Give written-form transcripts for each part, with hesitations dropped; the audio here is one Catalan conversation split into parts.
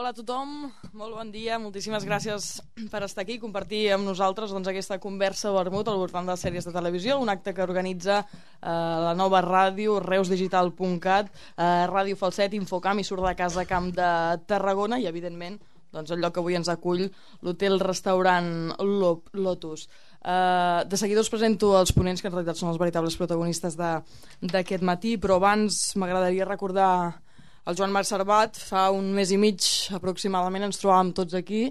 Hola a tothom, molt bon dia, moltíssimes gràcies per estar aquí i compartir amb nosaltres aquesta conversa vermut al voltant de les sèries de televisió, un acte que organitza la nova ràdio, reusdigital.cat, Ràdio Falset, Infocamp i Surt de Casa Camp de Tarragona i, evidentment, el lloc que avui ens acull, l'hotel-restaurant Lotus. De seguida us presento els ponents, que en realitat són els veritables protagonistes d'aquest matí, però abans m'agradaria recordar el Joan Marc Servat. Fa un mes i mig aproximadament ens trobàvem tots aquí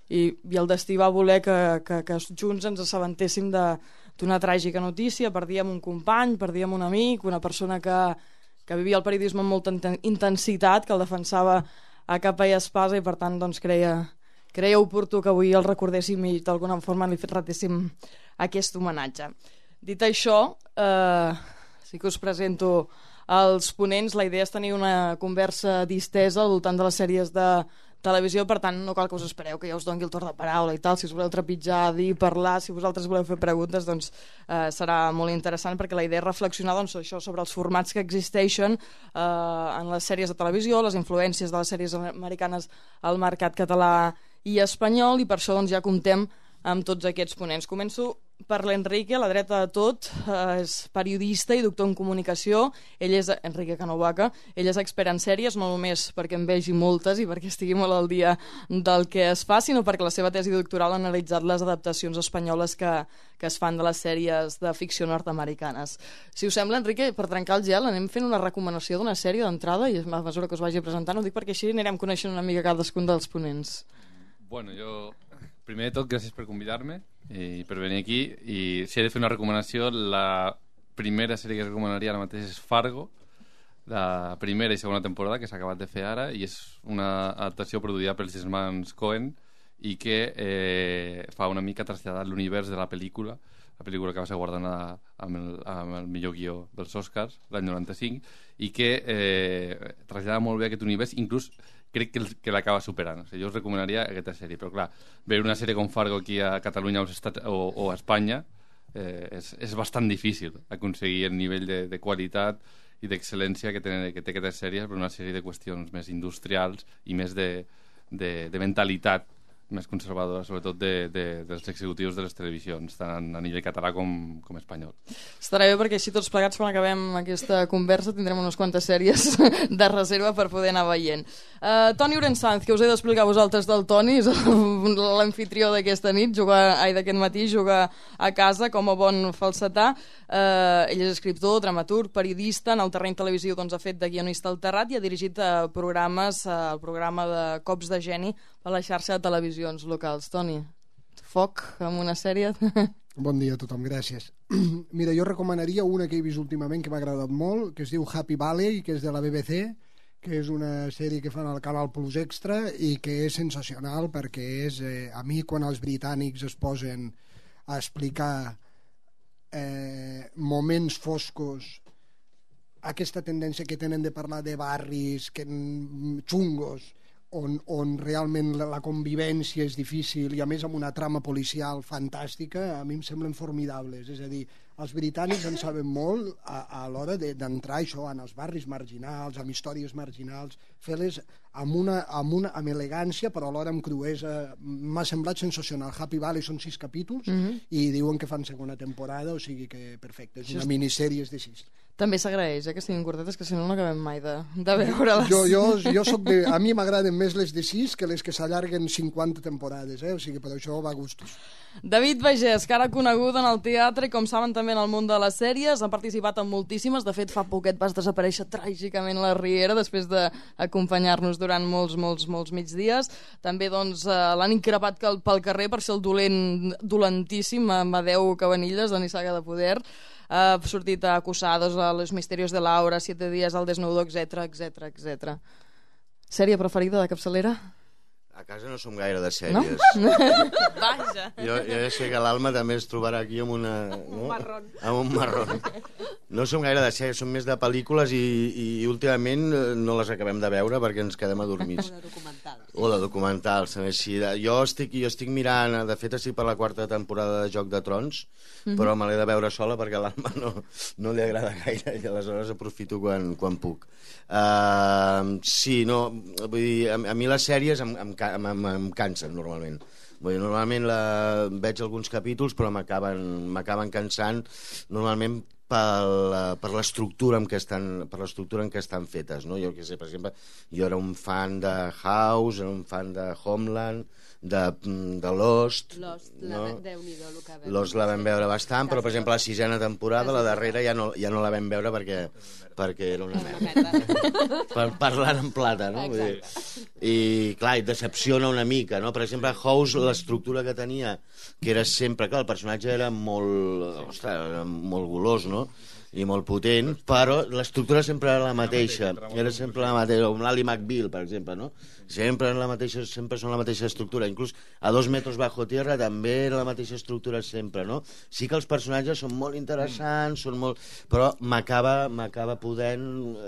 i el destí va voler que junts ens assabentéssim d'una tràgica notícia. Perdíem un company, perdíem un amic, una persona que vivia el periodisme amb molta intensitat, que el defensava a capa i espasa i per tant creia oportú que avui el recordéssim i d'alguna forma li retéssim aquest homenatge. Dit això, sí que us presento els ponents. La idea és tenir una conversa distesa al voltant de les sèries de televisió, per tant no cal que us espereu que ja us doni el torn de paraula i tal. Si us voleu trepitjar, dir, parlar, si vosaltres voleu fer preguntes, doncs serà molt interessant, perquè la idea és reflexionar això sobre els formats que existeixen en les sèries de televisió, les influències de les sèries americanes al mercat català i espanyol, i per això ja comptem amb tots aquests ponents. Començo per l'Enrique, a la dreta de tot, és periodista i doctor en comunicació. Ell és Enrique Canovaca, ell és expert en sèries, no només perquè en vegi moltes i perquè estigui molt al dia del que es fa, sinó perquè la seva tesi doctoral ha analitzat les adaptacions espanyoles que es fan de les sèries de ficció nord-americanes. Si us sembla, Enrique, per trencar el gel, anem fent una recomanació d'una sèrie d'entrada i a mesura que us vagi presentant, ho dic perquè així anirem coneixent una mica cadascun dels ponents. Bueno, primer de tot, gràcies per convidar-me i per venir aquí. I si he de fer una recomanació, la primera sèrie que recomanaria ara mateix és Fargo, la primera i segona temporada, que s'ha acabat de fer ara, i és una adaptació produïda pels germans Coen i que fa una mica traslladar l'univers de la pel·lícula que va ser guardonada amb el millor guió dels Oscars l'any 95, i que trasllada molt bé aquest univers, inclús crec que l'acaba superant. O sigui, jo us recomanaria aquesta sèrie, però clar, veure una sèrie com Fargo aquí a Catalunya o a Espanya és bastant difícil aconseguir el nivell de qualitat i d'excel·lència que té aquesta sèrie, per una sèrie de qüestions més industrials i més de mentalitat més conservadora, sobretot dels executius de les televisions, tant a nivell català com espanyol. Estarà bé, perquè així tots plegats, quan acabem aquesta conversa, tindrem unes quantes sèries de reserva per poder anar veient. Toni Orensanz, que us he d'explicar a vosaltres del Toni, és l'anfitrió d'aquesta nit, d'aquest matí, juga a casa com a bon falsetà. Ell és escriptor, dramaturg, periodista. En el terreny televisiu ha fet de guionista al Terrat i ha dirigit programes, el programa de Cops de Geni a la xarxa de televisions locals. Toni, foc amb una sèrie. Bon dia a tothom, gràcies. Mira, jo recomanaria una que he vist últimament que m'ha agradat molt, que es diu Happy Valley, que és de la BBC, que és una sèrie que fan al Canal Plus Extra i que és sensacional, perquè és, a mi, quan els britànics es posen a explicar moments foscos, aquesta tendència que tenen de parlar de barris xungos, on realment la convivència és difícil i a més amb una trama policial fantàstica, a mi em semblen formidables. És a dir, els britànics en saben molt a l'hora d'entrar això en els barris marginals, amb històries marginals, fer-les amb elegància però alhora amb cruesa. M'ha semblat sensacional. Happy Valley són 6 capítols i diuen que fan segona temporada, o sigui que perfecte, és una minissèrie de 6. També s'agraeix que siguin curtetes, que si no acabem mai de veure-les. Jo soc a mi m'agraden més les de 6 que les que s'allarguen 50 temporades, o sigui, per això va a gustos. David Bagés, cara conegut en el teatre i, com saben, també en el món de les sèries, ha participat en moltíssimes. De fet, fa poquet vas desaparèixer tràgicament a la Riera després d'acompanyar-nos durant molts migdies. També l'han increpat pel carrer per ser el dolentíssim Amadeu Cabanilles, de Nissaga de Poder. Ha sortit Acusados, a Los Misterios de Laura, 7 dies al desnudo, etc. Sèrie preferida de capçalera? A casa no som gaire de sèries. Vaja. Jo ja sé que l'Alma també es trobarà aquí amb un marrón. Amb un marrón. No som gaire de sèries, som més de pel·lícules i últimament no les acabem de veure perquè ens quedem adormits. O de documentals. Així. Jo estic mirant, de fet estic per la 4ª temporada de Joc de Trons, però me l'he de veure sola perquè a l'Alma no li agrada gaire i aleshores aprofito quan puc. Sí, no, vull dir, a mi les sèries em cansen normalment. Vull dir, normalment veig alguns capítols però m'acaben cansant normalment per l'estructura en què estan fetes, no? Jo què sé, per exemple, jo era un fan de House, era un fan de Homeland, de Lost, no? Lost la vam veure bastant, però per exemple la 6ª temporada, la darrera ja no la vam veure perquè era una merda. Parlant en plata, no? Vull dir, i clar, et decepciona una mica, no? Per exemple, House, l'estructura que tenia, que era sempre, clar, el personatge era molt golós, no? I molt potent, però l'estructura sempre era la mateixa. Era sempre la mateixa, com l'Ally McBeal, per exemple, no? Sempre són la mateixa estructura. Inclús a 2 metros bajo tierra també era la mateixa estructura sempre, no? Sí que els personatges són molt interessants, però m'acaba podent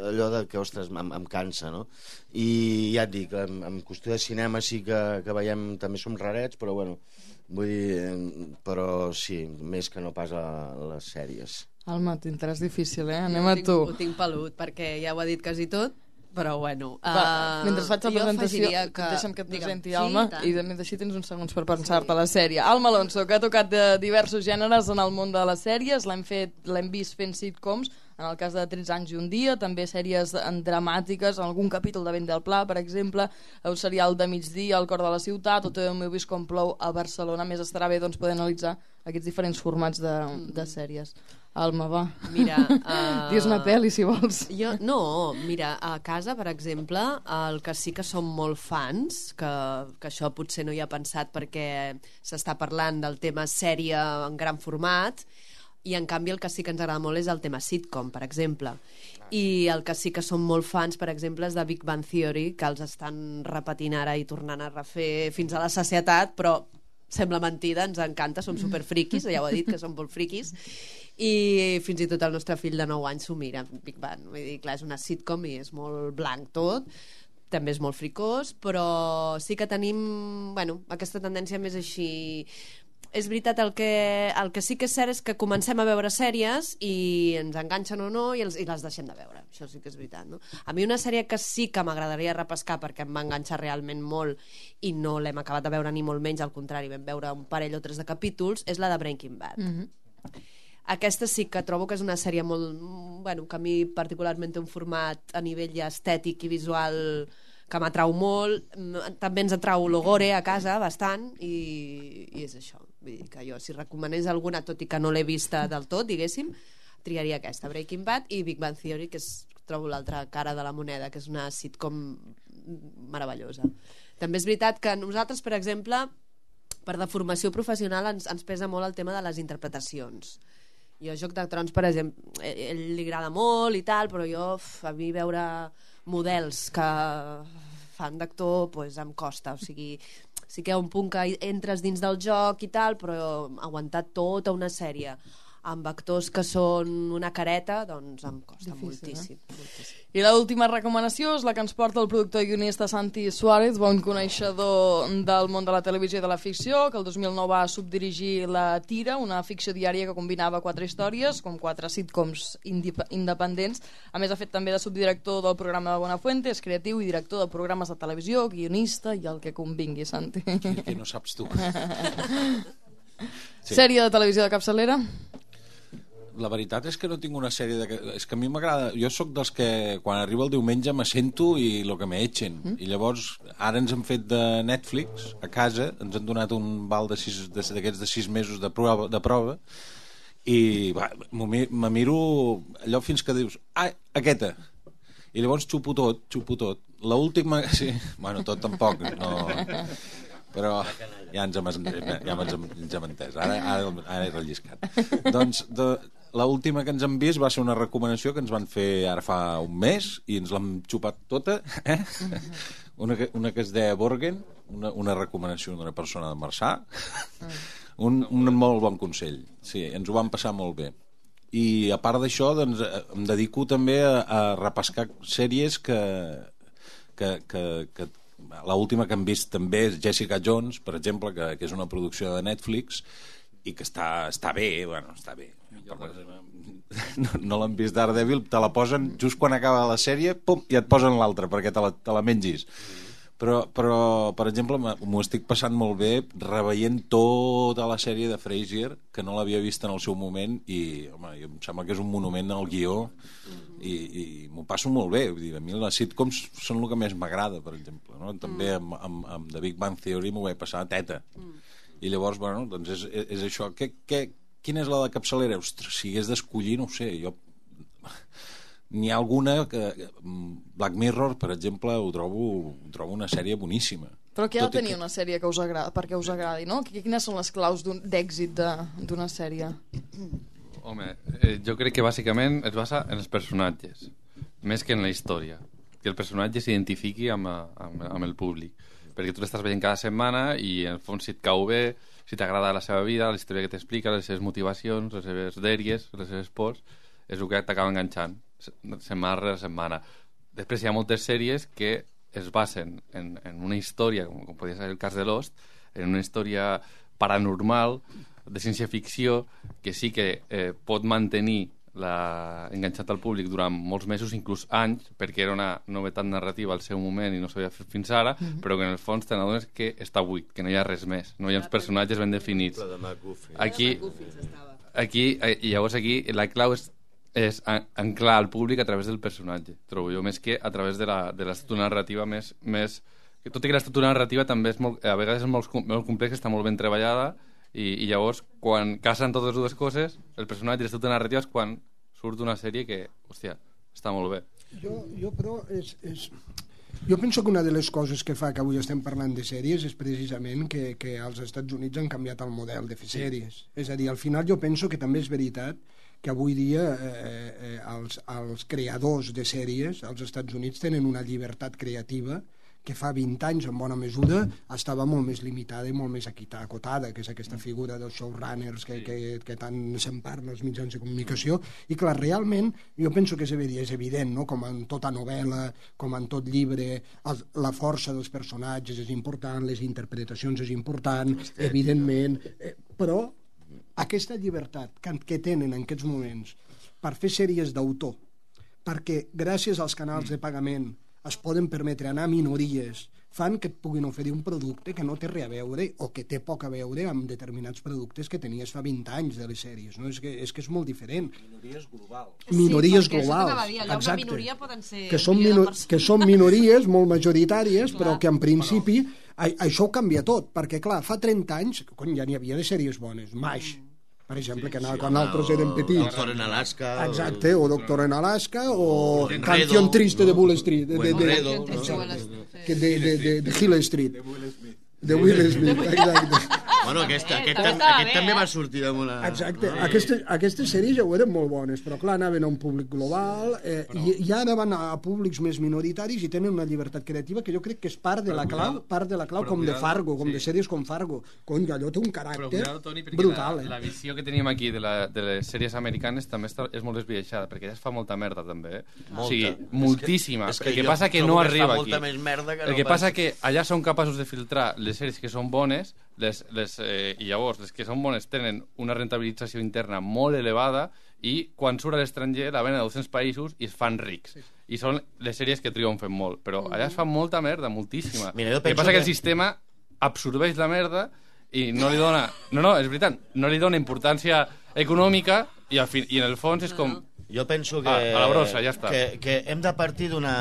allò que, ostres, em cansa, no? I ja et dic, en qüestió de cinema sí que veiem, també som rarets, però bueno, vull dir, però sí, més que no pas a les sèries. Alma, t'interès difícil, Anem a tu. Ho tinc pelut, perquè ja ho ha dit quasi tot, però bueno. Mentre faig la presentació, deixa'm que et presenti, Alma, i així tens uns segons per pensar-te la sèrie. Alma Alonso, que ha tocat de diversos gèneres en el món de les sèries, l'hem vist fent sitcoms, en el cas de 13 anys i un dia, també sèries dramàtiques, en algun capítol de Vent del Pla, per exemple, el serial de migdia, El cor de la ciutat, o també m'heu vist com plou a Barcelona. Més estarà bé poder analitzar aquests diferents formats de sèries. Alma, va. Mira, digues una pel·li, si vols. Mira, a casa, per exemple, el que sí que som molt fans, que això potser no hi ha pensat perquè s'està parlant del tema sèrie en gran format, i en canvi el que sí que ens agrada molt és el tema sitcom, per exemple. I el que sí que som molt fans, per exemple, és de Big Bang Theory, que els estan repetint ara i tornant a refer fins a la sacietat, però sembla mentida, ens encanta, som superfriquis, ja ho he dit, que som molt friquis, i fins i tot el nostre fill de 9 anys s'ho mira, Big Bang. Vull dir, clar, és una sitcom i és molt blanc tot, també és molt fricós, però sí que tenim, aquesta tendència més així. És veritat, el que sí que és cert és que comencem a veure sèries i ens enganxen o no i les deixem de veure, això sí que és veritat, no? A mi una sèrie que sí que m'agradaria repescar perquè em va enganxar realment molt i no l'hem acabat de veure ni molt menys, al contrari, vam veure un parell o 3 de capítols, és la de Breaking Bad. Aquesta sí que trobo que és una sèrie molt... que a mi particularment té un format a nivell ja estètic i visual que m'atrau molt. També ens atrau l'Ogore a casa bastant i és això. Vull dir que jo, si recomanés alguna, tot i que no l'he vista del tot, diguéssim, triaria aquesta, Breaking Bad, i Big Bang Theory, que trobo l'altra cara de la moneda, que és una sitcom meravellosa. També és veritat que nosaltres, per exemple, per deformació professional ens pesa molt el tema de les interpretacions. Jo a Joc de Trons, per exemple, ell li agrada molt i tal, però a mi veure models que fan d'actor em costa, o sigui, sí que hi ha un punt que entres dins del joc i tal, però aguantar tota una sèrie amb actors que són una careta, doncs em costa moltíssim. I l'última recomanació és la que ens porta el productor i guionista Santi Suárez, bon coneixedor del món de la televisió i de la ficció, que el 2009 va subdirigir La Tira, una ficció diària que combinava 4 històries, com 4 sitcoms independents. A més, ha fet també de subdirector del programa de Buenafuente, és creatiu i director de programes de televisió, guionista i el que convingui, Santi. Que no saps tu. Sèrie de televisió de capçalera? La veritat és que no tinc una sèrie és que a mi m'agrada, jo sóc dels que quan arriba el diumenge m'assento i el que m'etxen, i llavors ara ens han fet de Netflix a casa, ens han donat un val d'aquests de 6 mesos de prova i me miro allò fins que dius aquesta, i llavors xupo tot. L'última, sí, tot tampoc no, però ja ens hem entès, ara he relliscat. Doncs l'última que ens han vist va ser una recomanació que ens van fer ara fa un mes i ens l'hem xupat tota, una que es deia Borgen, una recomanació d'una persona de Marçà, un molt bon consell. Sí, ens ho vam passar molt bé. I a part d'això, doncs, em dedico també a repescar sèries que l'última que hem vist també és Jessica Jones, per exemple, que és una producció de Netflix i que està bé, bueno, està bé. No l'han vist Daredevil, te la posen just quan acaba la sèrie, pum, i et posen l'altra perquè te la mengis. Però, per exemple, m'ho estic passant molt bé reveient tota la sèrie de Frasier, que no l'havia vist en el seu moment, i home, em sembla que és un monument al guió, i m'ho passo molt bé. Vull dir, a mi les sitcoms són el que més m'agrada, per exemple, no? També amb The Big Bang Theory m'ho vaig passar a teta. I llavors, bueno, doncs és això. Quina és la de capçalera? Ostres, si hagués d'escollir, no ho sé, jo... N'hi ha alguna que... Black Mirror, per exemple, ho trobo una sèrie boníssima. Però què ha de tenir una sèrie que us agrada, perquè us agradi, no? Quines són les claus d'èxit d'una sèrie? Home, jo crec que bàsicament es basa en els personatges, més que en la història. Que el personatge s'identifiqui amb el públic. Perquè tu l'estàs veient cada setmana i en el fons si et cau bé, si t'agrada la seva vida, la història que t'explica, les seves motivacions, les seves dèries, les seves pors, és el que t'acaba enganxant setmana rere setmana. Després hi ha moltes sèries que es basen en una història, com podria ser el cas de Lost, en una història paranormal, de ciència-ficció, que sí que pot mantenir enganxat al públic durant molts mesos, inclús anys, perquè era una novetat narrativa al seu moment i no s'havia fet fins ara, però que en el fons te n'adones que està buit, que no hi ha res més, no hi ha uns personatges ben definits. Llavors aquí la clau és anclar al públic a través del personatge, trobo jo, més que a través de l'estructura narrativa més... Tot i que l'estructura narrativa també a vegades és molt complexa, està molt ben treballada, i llavors, quan casen totes dues coses, el personatge i l'estructura narrativa és quan surt una sèrie que, hòstia, està molt bé. Jo però, jo penso que una de les coses que fa que avui estem parlant de sèries és precisament que als Estats Units han canviat el model de fer sèries. És a dir, al final jo penso que també és veritat que avui dia els creadors de sèries als Estats Units tenen una llibertat creativa que fa 20 anys, en bona mesura, estava molt més limitada i molt més acotada, que és aquesta figura dels showrunners que tant se'n parla als mitjans de comunicació, i clar, realment, jo penso que és evident, no? Com en tota novel·la, com en tot llibre, la força dels personatges és important, les interpretacions és important, evidentment, però aquesta llibertat que tenen en aquests moments per fer sèries d'autor, perquè gràcies als canals de pagament es poden permetre anar a minories, fan que et puguin oferir un producte que no té res a veure o que té poc a veure amb determinats productes que tenies fa 20 anys de les sèries, no? És que és molt diferent. Minories globals. Minories sí, globals, exacte. Una minoria poden ser que són minories molt majoritàries, però que en principi això ho canvia tot, perquè clar, fa 30 anys ja n'hi havia de sèries bones, MASH, per exemple, que quan nosaltres érem petits. Doctor en Alaska. Exacte, o Doctor en Alaska, o Canción Triste de Bull Street. De Hill Street. De Will Smith, exacte. Bueno, aquest també va sortir amb una... Exacte, aquestes sèries ja ho eren molt bones, però clar, anaven a un públic global i ara van a públics més minoritaris i tenen una llibertat creativa que jo crec que és part de la clau com de Fargo, com de sèries com Fargo. Cony, allò té un caràcter brutal. La visió que teníem aquí de les sèries americanes també és molt esbiaixada, perquè ja es fa molta merda també. O sigui, moltíssima. El que passa que no arriba aquí. El que passa que allà són capaços de filtrar les sèries que són bones i llavors les que són bones tenen una rentabilització interna molt elevada i quan surt a l'estranger la venen a 200 països i es fan rics. I són les sèries que triomfen molt, però allà es fa molta merda, moltíssima. El que passa que el sistema absorbeix la merda i no li dona... No, és veritat, no li dona importància econòmica i en el fons és com... Jo penso que... a la brossa, ja està. Que hem de partir d'una...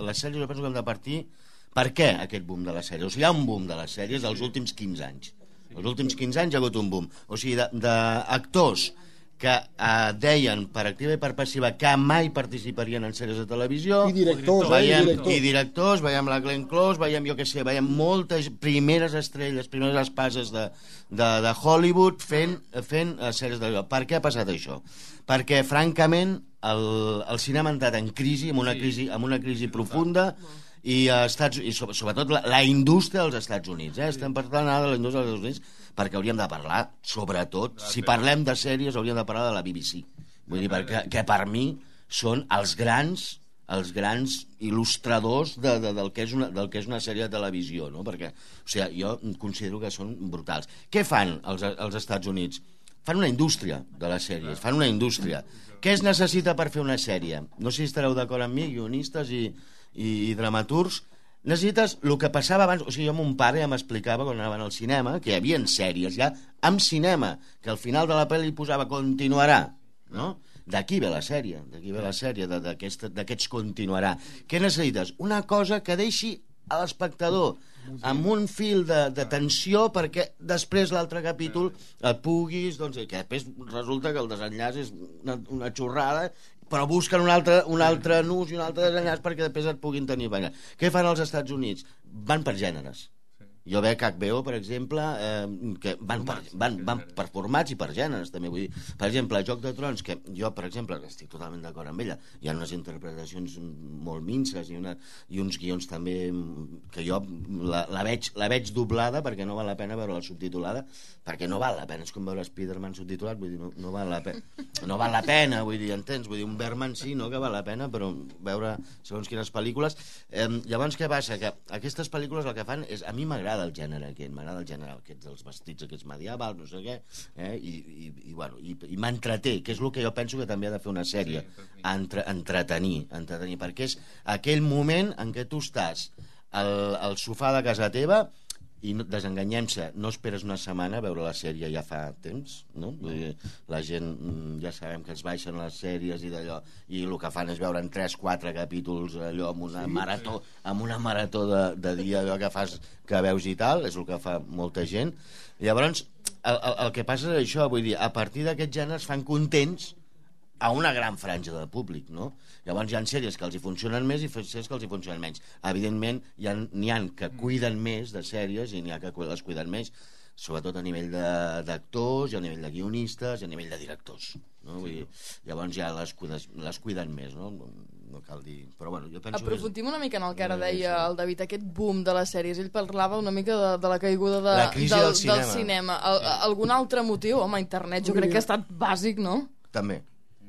Les sèries jo penso que hem de partir... Per què aquest boom de les sèries? O sigui, hi ha un boom de les sèries dels últims 15 anys. Els últims 15 anys hi ha hagut un boom. O sigui, d'actors que deien per activa i per passiva que mai participarien en sèries de televisió. I directors, I directors, veiem la Glenn Close, veiem, jo què sé, veiem moltes primeres estrelles, primeres espases de Hollywood fent sèries de televisió. Per què ha passat això? Perquè, francament, el cinema ha entrat en crisi, amb una crisi profunda, i sobretot la indústria dels Estats Units. Estem parlant ara de la indústria dels Estats Units perquè hauríem de parlar, sobretot, si parlem de sèries, hauríem de parlar de la BBC. Vull dir, que per mi són els grans il·lustradors del que és una sèrie de televisió, no? Perquè, o sigui, jo considero que són brutals. Què fan els Estats Units? Fan una indústria de les sèries, fan una indústria. Què es necessita per fer una sèrie? No sé si estareu d'acord amb mi, guionistes i dramaturgs. Necessites el que passava abans. O sigui, jo mon pare ja m'explicava quan anaven al cinema que hi havia sèries ja amb cinema, que al final de la pel·li posava continuarà, no? D'aquí ve la sèrie, d'aquests continuarà. Què necessites? Una cosa que deixi a l'espectador amb un fil de tensió perquè després l'altre capítol et puguis, doncs, que després resulta que el desenllaç és una xorrada, però busquen un altre nus i un altre desenllaç perquè després et puguin tenir. Què fan als Estats Units? Van per gèneres. Jo veig HBO, per exemple, que van per formats i per gèneres, també. Vull dir, per exemple, Joc de Trons, que jo, per exemple, estic totalment d'acord amb ella, hi ha unes interpretacions molt minces i uns guions també que jo la veig doblada perquè no val la pena veure-la subtitulada, perquè no val la pena, és com veure Spider-Man subtitulat, vull dir, no val la pena. No val la pena, vull dir, entens? Vull dir, un Bergman sí, no que val la pena, però veure segons quines pel·lícules. Llavors, què passa? Que aquestes pel·lícules el que fan és, a mi m'agrada el gènere aquest, m'agrada el gènere aquests dels vestits aquests medievals, no sé què, i m'entreté, que és el que jo penso que també ha de fer una sèrie, entretenir, perquè és aquell moment en què tu estàs al sofà de casa teva i desenganyem-se, no esperes una setmana a veure la sèrie, ja fa temps, no? La gent ja sabem que es baixen les sèries i d'allò, i el que fan és veure en 3-4 capítols allò amb una marató de dia allò que veus i tal, és el que fa molta gent. Llavors el que passa és això, vull dir, a partir d'aquest gènere es fan contents a una gran franja de públic, no? Llavors hi ha sèries que els hi funcionen més i sèries que els hi funcionen menys. Evidentment, n'hi ha que cuiden més de sèries i n'hi ha que les cuiden més, sobretot a nivell d'actors, i a nivell de guionistes, i a nivell de directors, no? Vull dir, llavors ja les cuiden més, no? No cal dir... Però bueno, jo penso... Aprofundim una mica en el que ara deia el David, aquest boom de les sèries. Ell parlava una mica de la caiguda del cinema. Algun altre motiu? Home, internet jo crec que ha estat bàsic, no? També.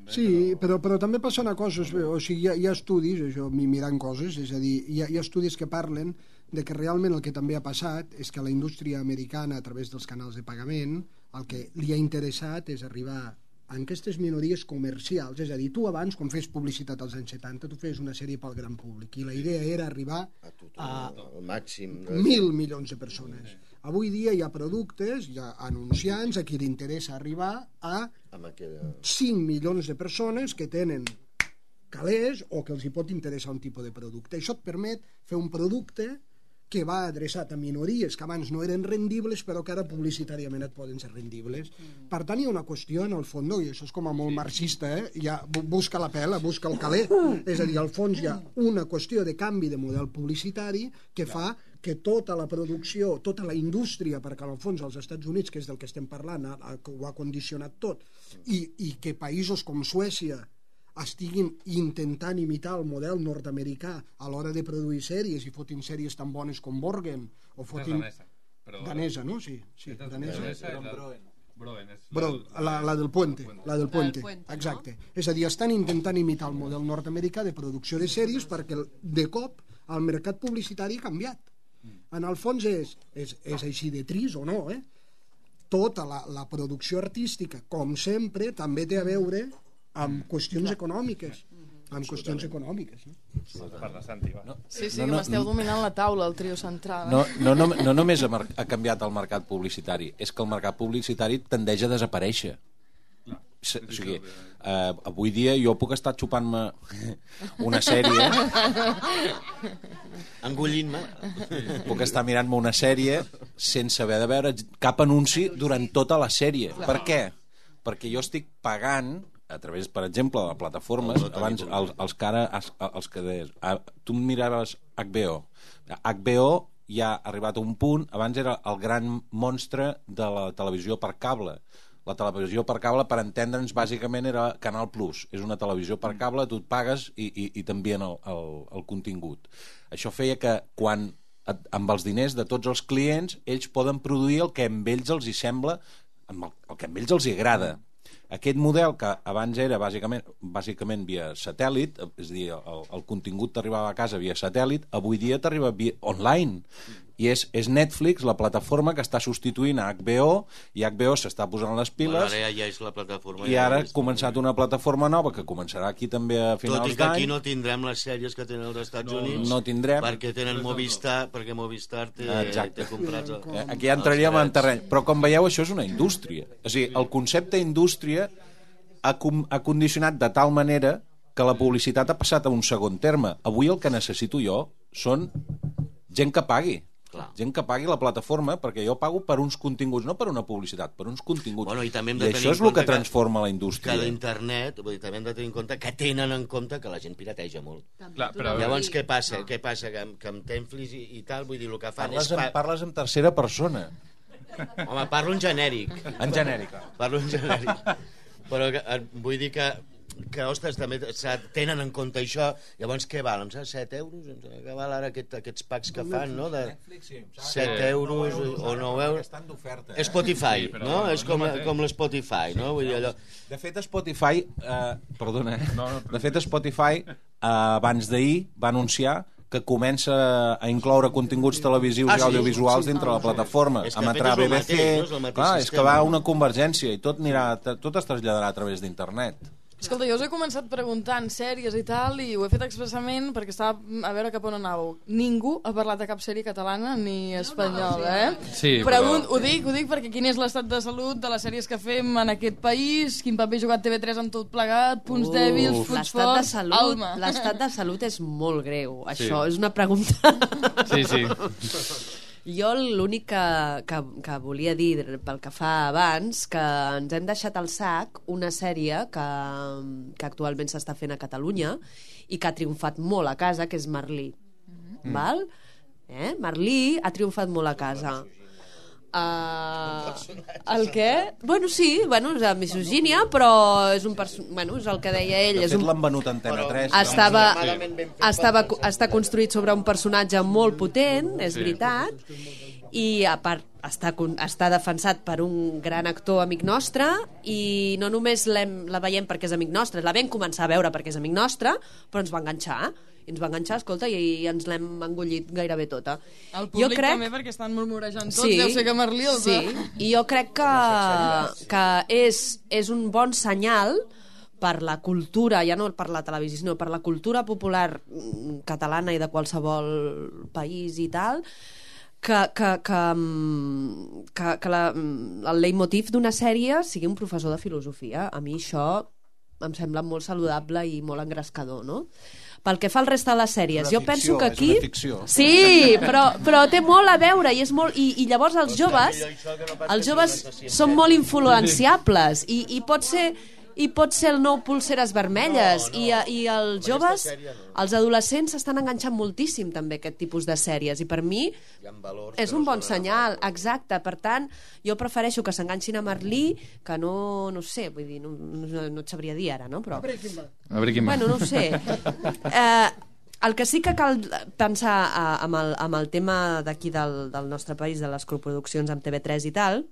Sí, però també passa una cosa, o sigui, hi ha estudis, això, mirant coses, és a dir, hi ha estudis que parlen de que realment el que també ha passat és que la indústria americana, a través dels canals de pagament, el que li ha interessat és arribar a aquestes minories comercials, és a dir, tu abans, quan fes publicitat als anys 70, tu fes una sèrie pel gran públic, i la idea era arribar al màxim 1.000 milions de persones. Avui dia hi ha productes, hi ha anunciants a qui li interessa arribar a 5 milions de persones que tenen calés o que els hi pot interessar un tipus de producte. Això et permet fer un producte que va adreçat a minories que abans no eren rendibles però que ara publicitàriament et poden ser rendibles. Per tant, hi ha una qüestió en el fons, i això és com a molt marxista, ja busca la pela, busca el caler, és a dir, al fons hi ha una qüestió de canvi de model publicitari que fa que tota la producció, tota la indústria, perquè en el fons als Estats Units, que és del que estem parlant, ho ha condicionat tot, i que països com Suècia estiguin intentant imitar el model nord-americà a l'hora de produir sèries i fotin sèries tan bones com Borgen o fotin... Danesa, no? Sí, danesa. La del Puente, exacte. És a dir, estan intentant imitar el model nord-americà de producció de sèries perquè de cop el mercat publicitari ha canviat. En el fons és així de trist o no, tota la producció artística, com sempre, també té a veure amb qüestions econòmiques. No? Parla, Santi, va. Sí, que m'esteu dominant la taula, el trio central. No només ha canviat el mercat publicitari, és que el mercat publicitari tendeix a desaparèixer. O sigui, avui dia jo puc estar xupant-me una sèrie, engullint-me, puc estar mirant-me una sèrie sense haver de veure cap anunci durant tota la sèrie. Per què? Perquè jo estic pagant a través, per exemple, de plataformes, abans els que deies, tu miraves HBO ja ha arribat a un punt, abans era el gran monstre de la televisió per cable, La televisió per cable, per entendre'ns, bàsicament era Canal Plus. És una televisió per cable, tu et pagues i t'envien el contingut. Això feia que quan, amb els diners de tots els clients, ells poden produir el que amb ells els hi sembla, el que amb ells els hi agrada. Aquest model, que abans era bàsicament via satèl·lit, és a dir, el contingut t'arribava a casa via satèl·lit, avui dia t'arriba via online. I és Netflix, la plataforma que està substituint a HBO, i HBO s'està posant les piles, Ara ja és la plataforma. i ara ha començat una plataforma nova que començarà aquí també a finals d'any. Tot i que aquí no tindrem les sèries que tenen els Estats Units. No tindrem. Perquè tenen Movistar, perquè Movistar té comprats... Aquí ja entraríem en terreny. Però com veieu, això és una indústria. O sigui, el concepte indústria ha condicionat de tal manera que la publicitat ha passat a un segon terme. Avui el que necessito jo són gent que pagui. Gent que pagui la plataforma, perquè jo pago per uns continguts, no per una publicitat, per uns continguts. Bueno, i això és el que transforma la indústria. Que l'internet, vull dir, també hem de tenir en compte que tenen en compte que la gent pirateja molt. Clar, però... Llavors, què passa? Què passa? Que amb Netflix i tal, vull dir, el que fan Parles en tercera persona. Home, parlo en genèric. En genèric. Parlo en genèric. Però vull dir que ostres, també tenen en compte això. Llavors què val? Em sembla 7 euros? Què val ara aquests packs que fan, no? De 7 euros o 9 euros. Spotify, no? És com l'Spotify, no? Vull dir allò... De fet, Spotify... Perdona, De fet, Spotify abans d'ahir va anunciar que comença a incloure continguts televisius i audiovisuals dintre la plataforma. Emetrà BBC... És que va una convergència i tot es traslladarà a través d'internet. Escolta, jo us he començat preguntant sèries i tal, i ho he fet expressament perquè estava a veure cap on anàveu. Ningú ha parlat de cap sèrie catalana ni espanyola, Sí, però... Ho dic perquè quin és l'estat de salut de les sèries que fem en aquest país, quin paper ha jugat TV3 en tot plegat, punts dèbils, punts forts, Alma. L'estat de salut és molt greu. Això és una pregunta... Sí. Jo l'únic que volia dir pel que fa abans, que ens hem deixat al sac una sèrie que actualment s'està fent a Catalunya i que ha triomfat molt a casa, que és Merlí. Val? Merlí ha triomfat molt a casa. El què? Bueno, sí, és la misogínia, però és és el que deia ell. De fet, l'han venut a Antena 3. Està construït sobre un personatge molt potent, és veritat, i a part està defensat per un gran actor amic nostre, i no només la veiem perquè és amic nostre, la vam començar a veure perquè és amic nostre, però ens va enganxar, escolta, i ens l'hem engullit gairebé tota. El públic també, perquè estan murmurejant tots, deu ser que Merlí els va... I jo crec que és un bon senyal per la cultura, ja no per la televisió, sinó per la cultura popular catalana i de qualsevol país i tal, que el leitmotiv d'una sèrie sigui un professor de filosofia. A mi això em sembla molt saludable i molt engrescador, no? Pel que fa al resta de les sèries, jo penso que aquí... És una ficció. Sí, però té molt a veure i llavors els joves són molt influenciables i pot ser el nou Pulseres Vermelles i els joves, els adolescents s'estan enganxant moltíssim també aquest tipus de sèries, i per mi és un bon senyal, exacte. Per tant, jo prefereixo que s'enganxin a Merlí que no sé, vull dir, no et sabria dir ara, no? Però... A Breaking Bad. Bueno, no ho sé. El que sí que cal pensar amb el tema d'aquí del nostre país, de les coproduccions amb TV3 i tal.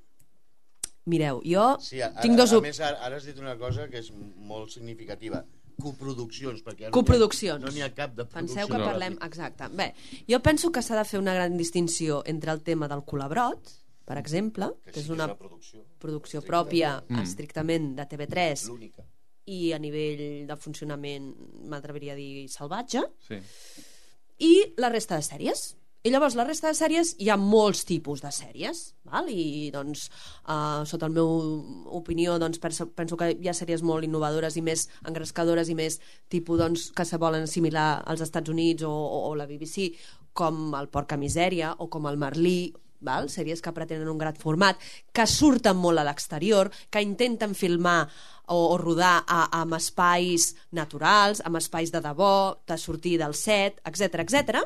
Mireu, jo tinc dos... A més, ara has dit una cosa que és molt significativa. Coproduccions, perquè no n'hi ha cap de producció. Penseu que parlem... Exacte. Bé, jo penso que s'ha de fer una gran distinció entre el tema del colabrot, per exemple, que és una producció pròpia estrictament de TV3 i a nivell de funcionament, m'atreviria a dir, salvatge, i la resta de sèries. I llavors, la resta de sèries, hi ha molts tipus de sèries, val? I doncs, sota la meva opinió, doncs, penso que hi ha sèries molt innovadores i més engrescadores i més tipus, doncs, que se volen assimilar als Estats Units o la BBC, com el Porca Misèria o com el Merlí, val? Sèries que pretenen un gran format, que surten molt a l'exterior, que intenten filmar o rodar amb espais naturals, amb espais de debò, de sortir del set, etc.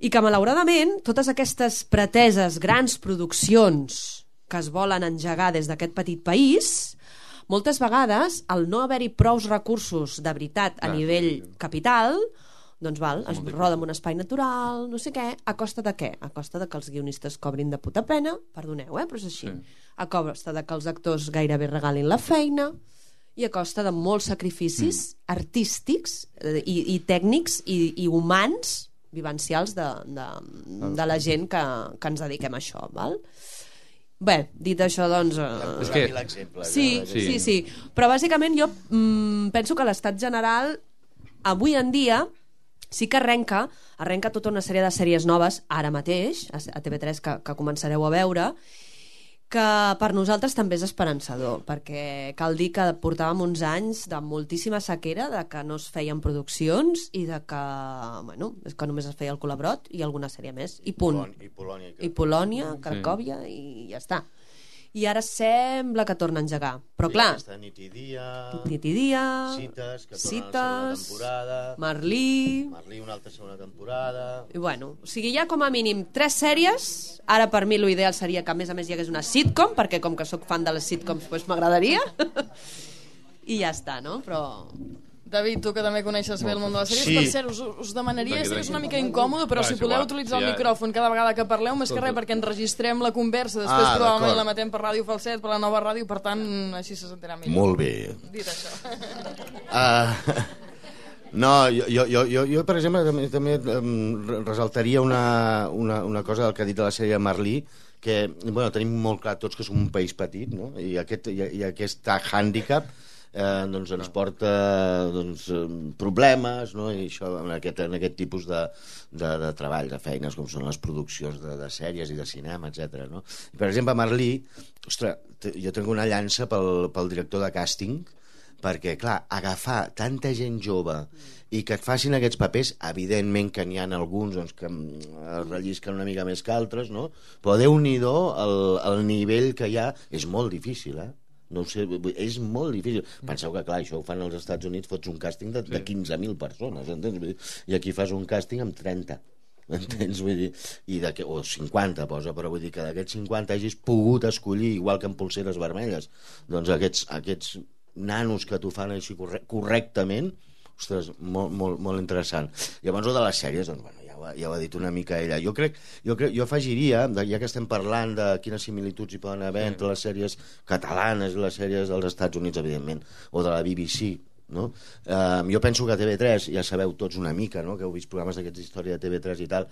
I que malauradament totes aquestes preteses grans produccions que es volen engegar des d'aquest petit país, moltes vegades, al no haver-hi prous recursos de veritat a nivell capital, doncs es roda en un espai natural, no sé què, a costa de què? A costa de que els guionistes cobrin de puta pena, perdoneu, però és així. A costa de que els actors gairebé regalin la feina i a costa de molts sacrificis artístics i tècnics i humans vivencials de la gent que ens dediquem a això, val? Bé, dit això, doncs... És que... l'exemple. Sí. Però bàsicament jo penso que l'estat general avui en dia sí que arrenca tota una sèrie de sèries noves ara mateix, a TV3, que començareu a veure, que per nosaltres també és esperançador, perquè cal dir que portàvem uns anys de moltíssima sequera, de que no es feien produccions i de que, és que només es feia el Colabrot i alguna sèrie més, i punt. I Polònia, Cracòvia, i ja està. I ara sembla que torna a engegar. Però clar... Nit i dia... Cites, que torna a la segona temporada... Marlí, una altra segona temporada... I o sigui, hi ha com a mínim 3 sèries. Ara per mi l'ideal seria que a més hi hagués una sitcom, perquè com que sóc fan de les sitcoms m'agradaria. I ja està, no? Però... David, tu que també coneixes bé el món de les sèries, per cert, us demanaria, sé que és una mica incòmode, però si podeu utilitzar el micròfon cada vegada que parleu, més que res perquè enregistrem la conversa, després probablement la metem per Ràdio Falset, per la nova ràdio, per tant, així se sentirà millor. Molt bé. Dit això. No, jo per exemple, també resaltaria una cosa del que ha dit de la sèrie Marlí, que tenim molt clar tots que som un país petit, no? I aquest hàndicap doncs ens porta problemes, no? I això en aquest tipus de treball, de feines com són les produccions de sèries i de cinema, etc. No? Per exemple, a Marlí, ostres, jo tinc una llança pel director de càsting, perquè, clar, agafar tanta gent jove i que et facin aquests papers, evidentment que n'hi ha alguns doncs, que rellisquen una mica més que altres, no? Però Déu-n'hi-do el nivell que hi ha és molt difícil, no ho sé, és molt difícil. Penseu que, clar, això ho fan als Estats Units, fots un càsting de 15.000 persones, entens? I aquí fas un càsting amb 30, entens? Vull dir, o 50 posa, però vull dir que d'aquests 50 hagis pogut escollir, igual que en Polseres Vermelles, doncs aquests nanos que t'ho fan així correctament, ostres, molt interessant. Llavors, de les sèries, doncs, ja ho ha dit una mica ella. Jo afegiria, ja que estem parlant de quines similituds hi poden haver entre les sèries catalanes i les sèries dels Estats Units, evidentment, o de la BBC, no? Jo penso que a TV3, ja sabeu tots una mica, no? Que heu vist programes d'aquests d'història de TV3 i tal,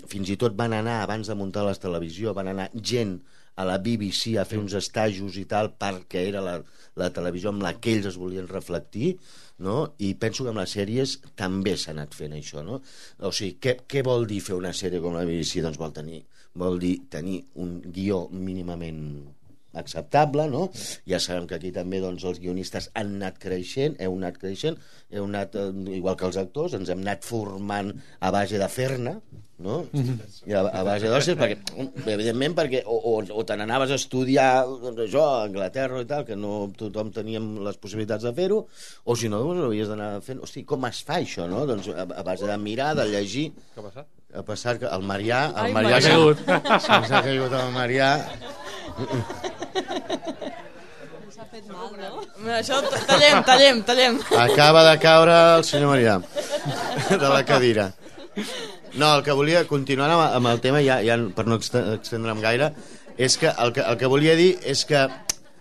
fins i tot van anar, abans de muntar la televisió, van anar gent a la BBC a fer uns estajos i tal, perquè era la televisió amb la que ells es volien reflectir, no? I penso que amb les sèries també s'ha anat fent això, no? O sigui, què vol dir fer una sèrie com la BBC? Doncs vol dir tenir un guió mínimament acceptable, no? Ja sabem que aquí també doncs, els guionistes han anat creixent, heu anat, igual que els actors, ens hem anat formant a base de fer-ne, no? I a base d'osses, evidentment perquè o te n'anaves a estudiar doncs això, a Anglaterra i tal, que no tothom teníem les possibilitats de fer-ho, o si no, doncs ho havies d'anar fent. Hosti, com es fa això, no? Doncs a base de mirar, de llegir. Què ha passat? Ha passat que el Marià se'ns ha caigut el Marià. S'ha fet mal, no? Això, tallem. Acaba de caure el senyor Marià de la cadira. No, el que volia, continuant amb el tema, ja per no extendre'm gaire, és que el que volia dir és que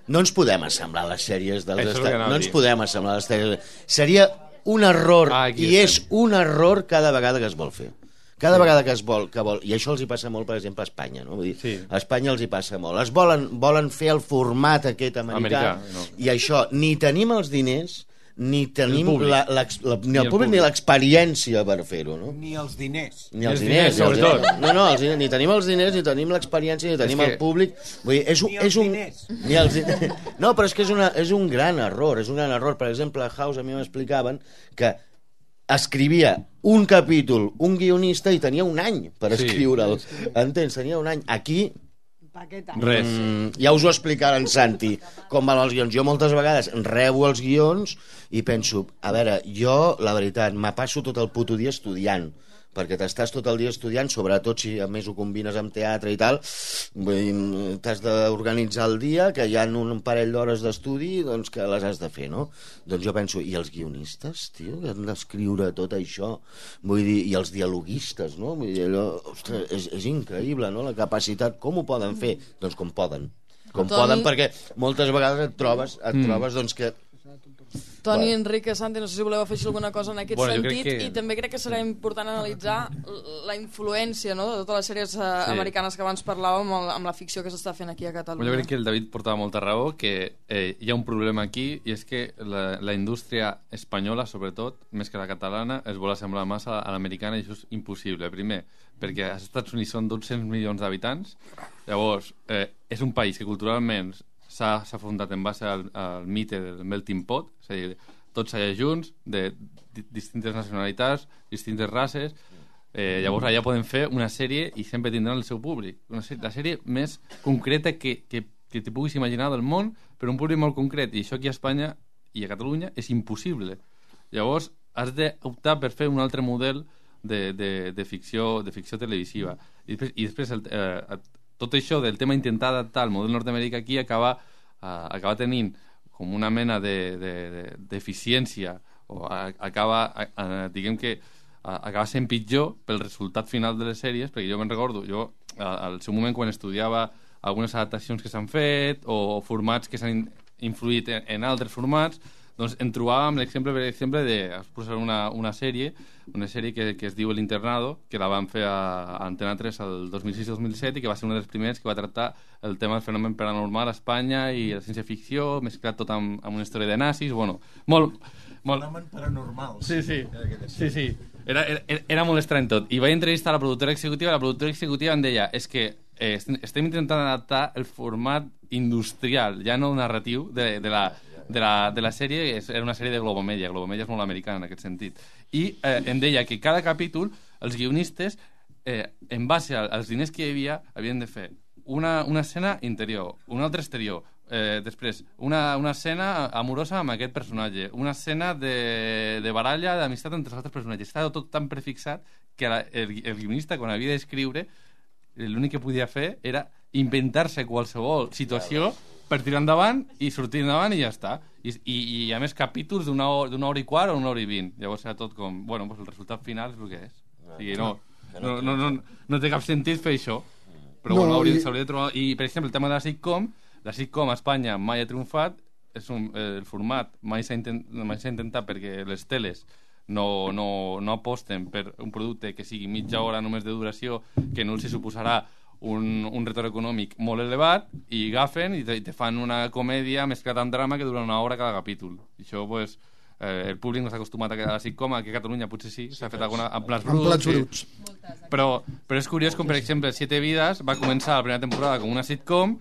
no ens podem assemblar a les sèries dels Estats. No ens podem assemblar a les sèries. Seria un error, i és un error cada vegada que es vol fer. Cada vegada que es vol, i això els hi passa molt, per exemple, a Espanya, no? Vull dir, a Espanya els hi passa molt. Volen fer el format aquest americà, i això, ni tenim els diners, ni tenim ni el públic ni l'experiència per fer-ho, no? Ni els diners. Ni els diners, sobretot. No, ni tenim els diners, ni tenim l'experiència, ni tenim el públic. Vull dir, és un... Ni els diners. No, però és que és un gran error, Per exemple, a House a mi m'explicaven que escrivia un capítol, un guionista, i tenia un any per escriure'l. Entens? Tenia un any. Aquí... Res. Ja us ho explicarà en Santi com van els guions. Jo moltes vegades rebo els guions i penso, a veure, jo la veritat me passo tot el puto dia estudiant perquè t'estàs tot el dia estudiant, sobretot si a més ho combines amb teatre i tal, t'has d'organitzar el dia, que hi ha un parell d'hores d'estudi, doncs que les has de fer, no? Doncs jo penso, i els guionistes, tio, que han d'escriure tot això, vull dir, i els dialoguistes, no? Vull dir, allò, ostres, és increïble, no?, la capacitat, com ho poden fer? Doncs com poden. Poden, perquè moltes vegades et trobes doncs que... Toni, Enrique, Santi, no sé si voleu afegir alguna cosa en aquest sentit, i també crec que serà important analitzar la influència, no?, de totes les sèries americanes que abans parlàvem amb la ficció que s'està fent aquí a Catalunya. Jo crec que el David portava molta raó, que hi ha un problema aquí, i és que la indústria espanyola, sobretot, més que la catalana, es vol assemblar massa a l'americana, i això és impossible. Primer, perquè als Estats Units són 200 milions d'habitants, llavors és un país que culturalment s'ha fundat en base al mite del melting pot, és a dir, tots allà junts, de distintes nacionalitats, distintes races, llavors allà poden fer una sèrie i sempre tindran el seu públic. La sèrie més concreta que t'hi puguis imaginar del món, per un públic molt concret, i això aquí a Espanya i a Catalunya és impossible. Llavors has d'optar per fer un altre model de ficció televisiva. I després tot això del tema intentar adaptar el model nord-americà aquí acaba tenint com una mena d'eficiència, o diguem que acaba sent pitjor pel resultat final de les sèries, perquè jo me'n recordo, al seu moment quan estudiava algunes adaptacions que s'han fet o formats que s'han influït en altres formats, doncs em trobàvem l'exemple, per exemple, una sèrie que es diu El Internado, que la van fer a Antena 3 el 2006-2007 i que va ser una dels primers que va tractar el tema del fenomen paranormal a Espanya i la ciència-ficció, mesclat tot amb una història de nazis, bueno, molt... Fenomen paranormal. Sí. Era molt estrany tot. I vaig entrevistar la productora executiva em deia, és que estem intentant adaptar el format industrial, ja no narratiu, de la sèrie. Era una sèrie de Globomedia és molt americana en aquest sentit, i em deia que cada capítol els guionistes en base als diners que hi havia havien de fer una escena interior, una altra exterior, després una escena amorosa amb aquest personatge, una escena de baralla, d'amistat entre els altres personatges. Estava tot tan prefixat que el guionista, quan havia d'escriure, l'únic que podia fer era inventar-se qualsevol situació per tirar endavant i sortir endavant i ja està. I a més capítols d'una hora i quart o una hora i 20. Llavors era tot com, bueno, pues el resultat final és el que és. O sigui, no té cap sentit fer això. Però bueno, s'hauria de trobar... I, per exemple, el tema de la sitcom a Espanya mai ha triomfat, el format mai s'ha intentat perquè les teles no aposten per un producte que sigui mitja hora només de duració, que no els suposarà un retorn econòmic molt elevat, i agafen i te fan una comèdia mesclada amb drama que dura una hora cada capítol. I això, pues, el públic no s'ha acostumat a la sitcom, aquí a Catalunya potser sí, s'ha fet alguna amb plats bruts. Però és curiós com, per exemple, 7 vides va començar la primera temporada com una sitcom,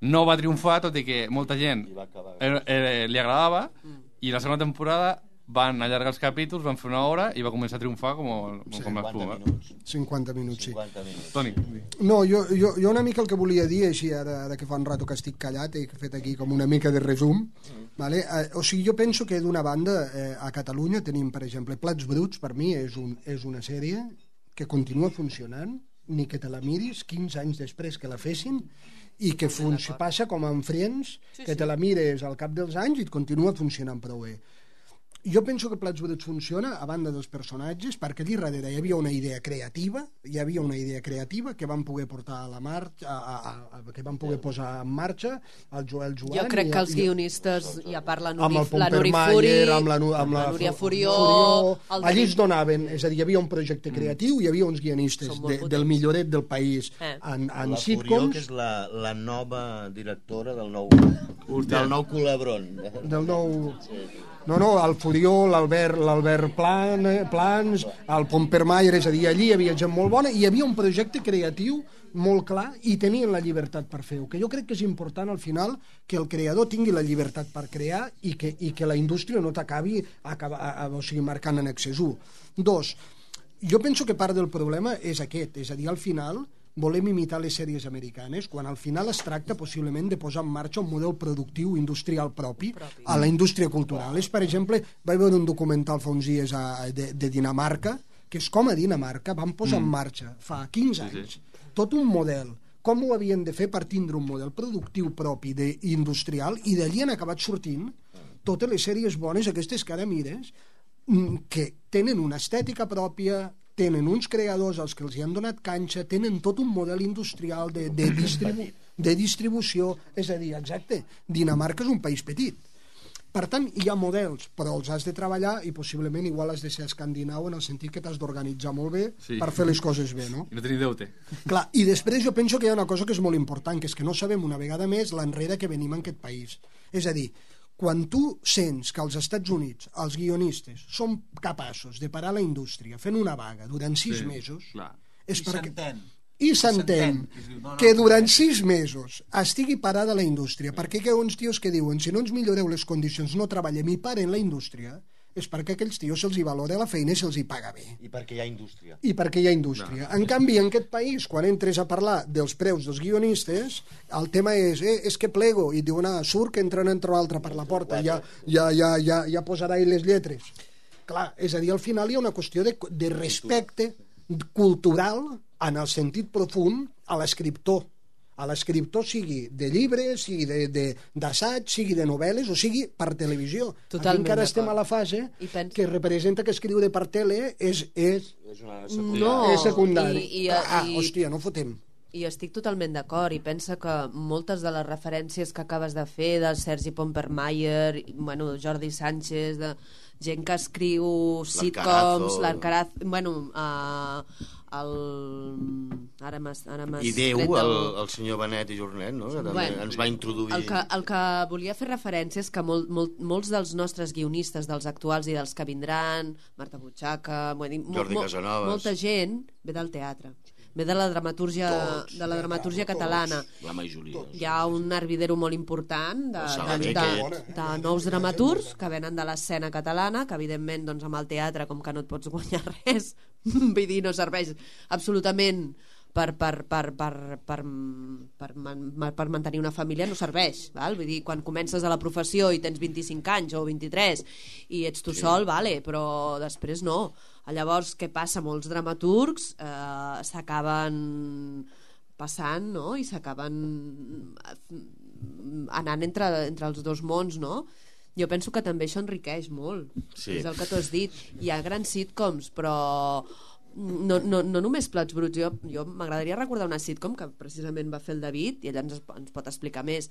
no va triomfar, tot i que molta gent li agradava, i la segona temporada van allargar els capítols, van fer una hora i va començar a triomfar com l'espuma. 50 minuts, sí. Toni. No, jo una mica el que volia dir, així ara que fa un rato que estic callat, he fet aquí com una mica de resum, vale? O sigui, jo penso que d'una banda a Catalunya tenim, per exemple, Plats Bruts, per mi és una sèrie que continua funcionant, ni que te la miris 15 anys després que la fessin, i que passa com amb Friends, que te la mires al cap dels anys i et continua funcionant prou bé. Jo penso que Plats Bruts funciona a banda dels personatges, perquè allà darrere hi havia una idea creativa, que van poder portar a la marxa, que van poder posar en marxa el Joel Joan. Jo crec que els guionistes, i a part la Nuri Furi, amb la Núria Furió... Allà es donaven, és a dir, hi havia un projecte creatiu, hi havia uns guionistes del milloret del país en sitcoms. La Furió, que és la nova directora del nou Culebron. Del nou... No, el Furió, l'Albert Plans, el Pompermayer, és a dir, allí hi havia gent molt bona i hi havia un projecte creatiu molt clar i tenien la llibertat per fer-ho, que jo crec que és important al final que el creador tingui la llibertat per crear i que la indústria no t'acabi marcant en excés. 2, jo penso que part del problema és aquest, és a dir, al final volem imitar les sèries americanes, quan al final es tracta possiblement de posar en marxa un model productiu industrial propi a la indústria cultural. Per exemple, vaig veure un documental fa uns dies de Dinamarca, que és com a Dinamarca van posar en marxa fa 15 anys tot un model, com ho havien de fer per tindre un model productiu propi industrial, i d'allí han acabat sortint totes les sèries bones aquestes que ara mires, que tenen una estètica pròpia, tenen uns creadors als que els hi han donat canxa, tenen tot un model industrial de distribució, és a dir, exacte, Dinamarca és un país petit. Per tant, hi ha models, però els has de treballar i possiblement igual has de ser escandinau en el sentit que t'has d'organitzar molt bé per fer les coses bé, no? I no tenir deute. Clar, i després jo penso que hi ha una cosa que és molt important, que és que no sabem una vegada més l'enrere que venim en aquest país. És a dir, quan tu sents que als Estats Units els guionistes són capaços de parar la indústria fent una vaga durant 6 mesos, és perquè... I s'entén que durant 6 mesos estigui parada la indústria, perquè hi ha uns tios que diuen si no ens milloreu les condicions no treballem i paren la indústria, és perquè aquells tios se'ls hi valora la feina i se'ls hi paga bé. I perquè hi ha indústria. I perquè hi ha indústria. En canvi, en aquest país, quan entres a parlar dels preus dels guionistes, el tema és que plego, i diuen, surt que entren entre l'altre per la porta, ja posarà ell les lletres. Clar, és a dir, al final hi ha una qüestió de respecte cultural en el sentit profund a l'escriptor. A l'escriptor sigui de llibres, sigui d'assaig, sigui de novel·les o sigui per televisió. Aquí encara estem a la fase que representa que escriure per tele és secundari. Hòstia, no fotem. I estic totalment d'acord, i pensa que moltes de les referències que acabes de fer del Sergi Pompermayer, Jordi Sánchez, de gent que escriu sitcoms, l'Arcaraz, i Déu, el senyor Benet i Jornet, no? Que també ens va introduir... El que volia fer referència és que molts dels nostres guionistes, dels actuals i dels que vindran, Marta Butxaca, Jordi Casanovas, molta gent ve del teatre, ve de la dramatúrgia catalana. La majoria. Hi ha un hervidero molt important de nous dramaturgs que venen de l'escena catalana, que evidentment amb el teatre, com que no et pots guanyar res, vull dir, no serveix absolutament per mantenir una família, no serveix, val? Vull dir, quan comences a la professió i tens 25 anys o 23 i ets tu sol, vale, però després no. Llavors, què passa? Molts dramaturgs s'acaben passant, no? I s'acaben anant entre els dos mons, no? Jo penso que també això enriqueix molt. És el que tu has dit. Hi ha grans sitcoms, però no només Plats bruts. Jo m'agradaria recordar una sitcom que precisament va fer el David, i ell ens pot explicar més,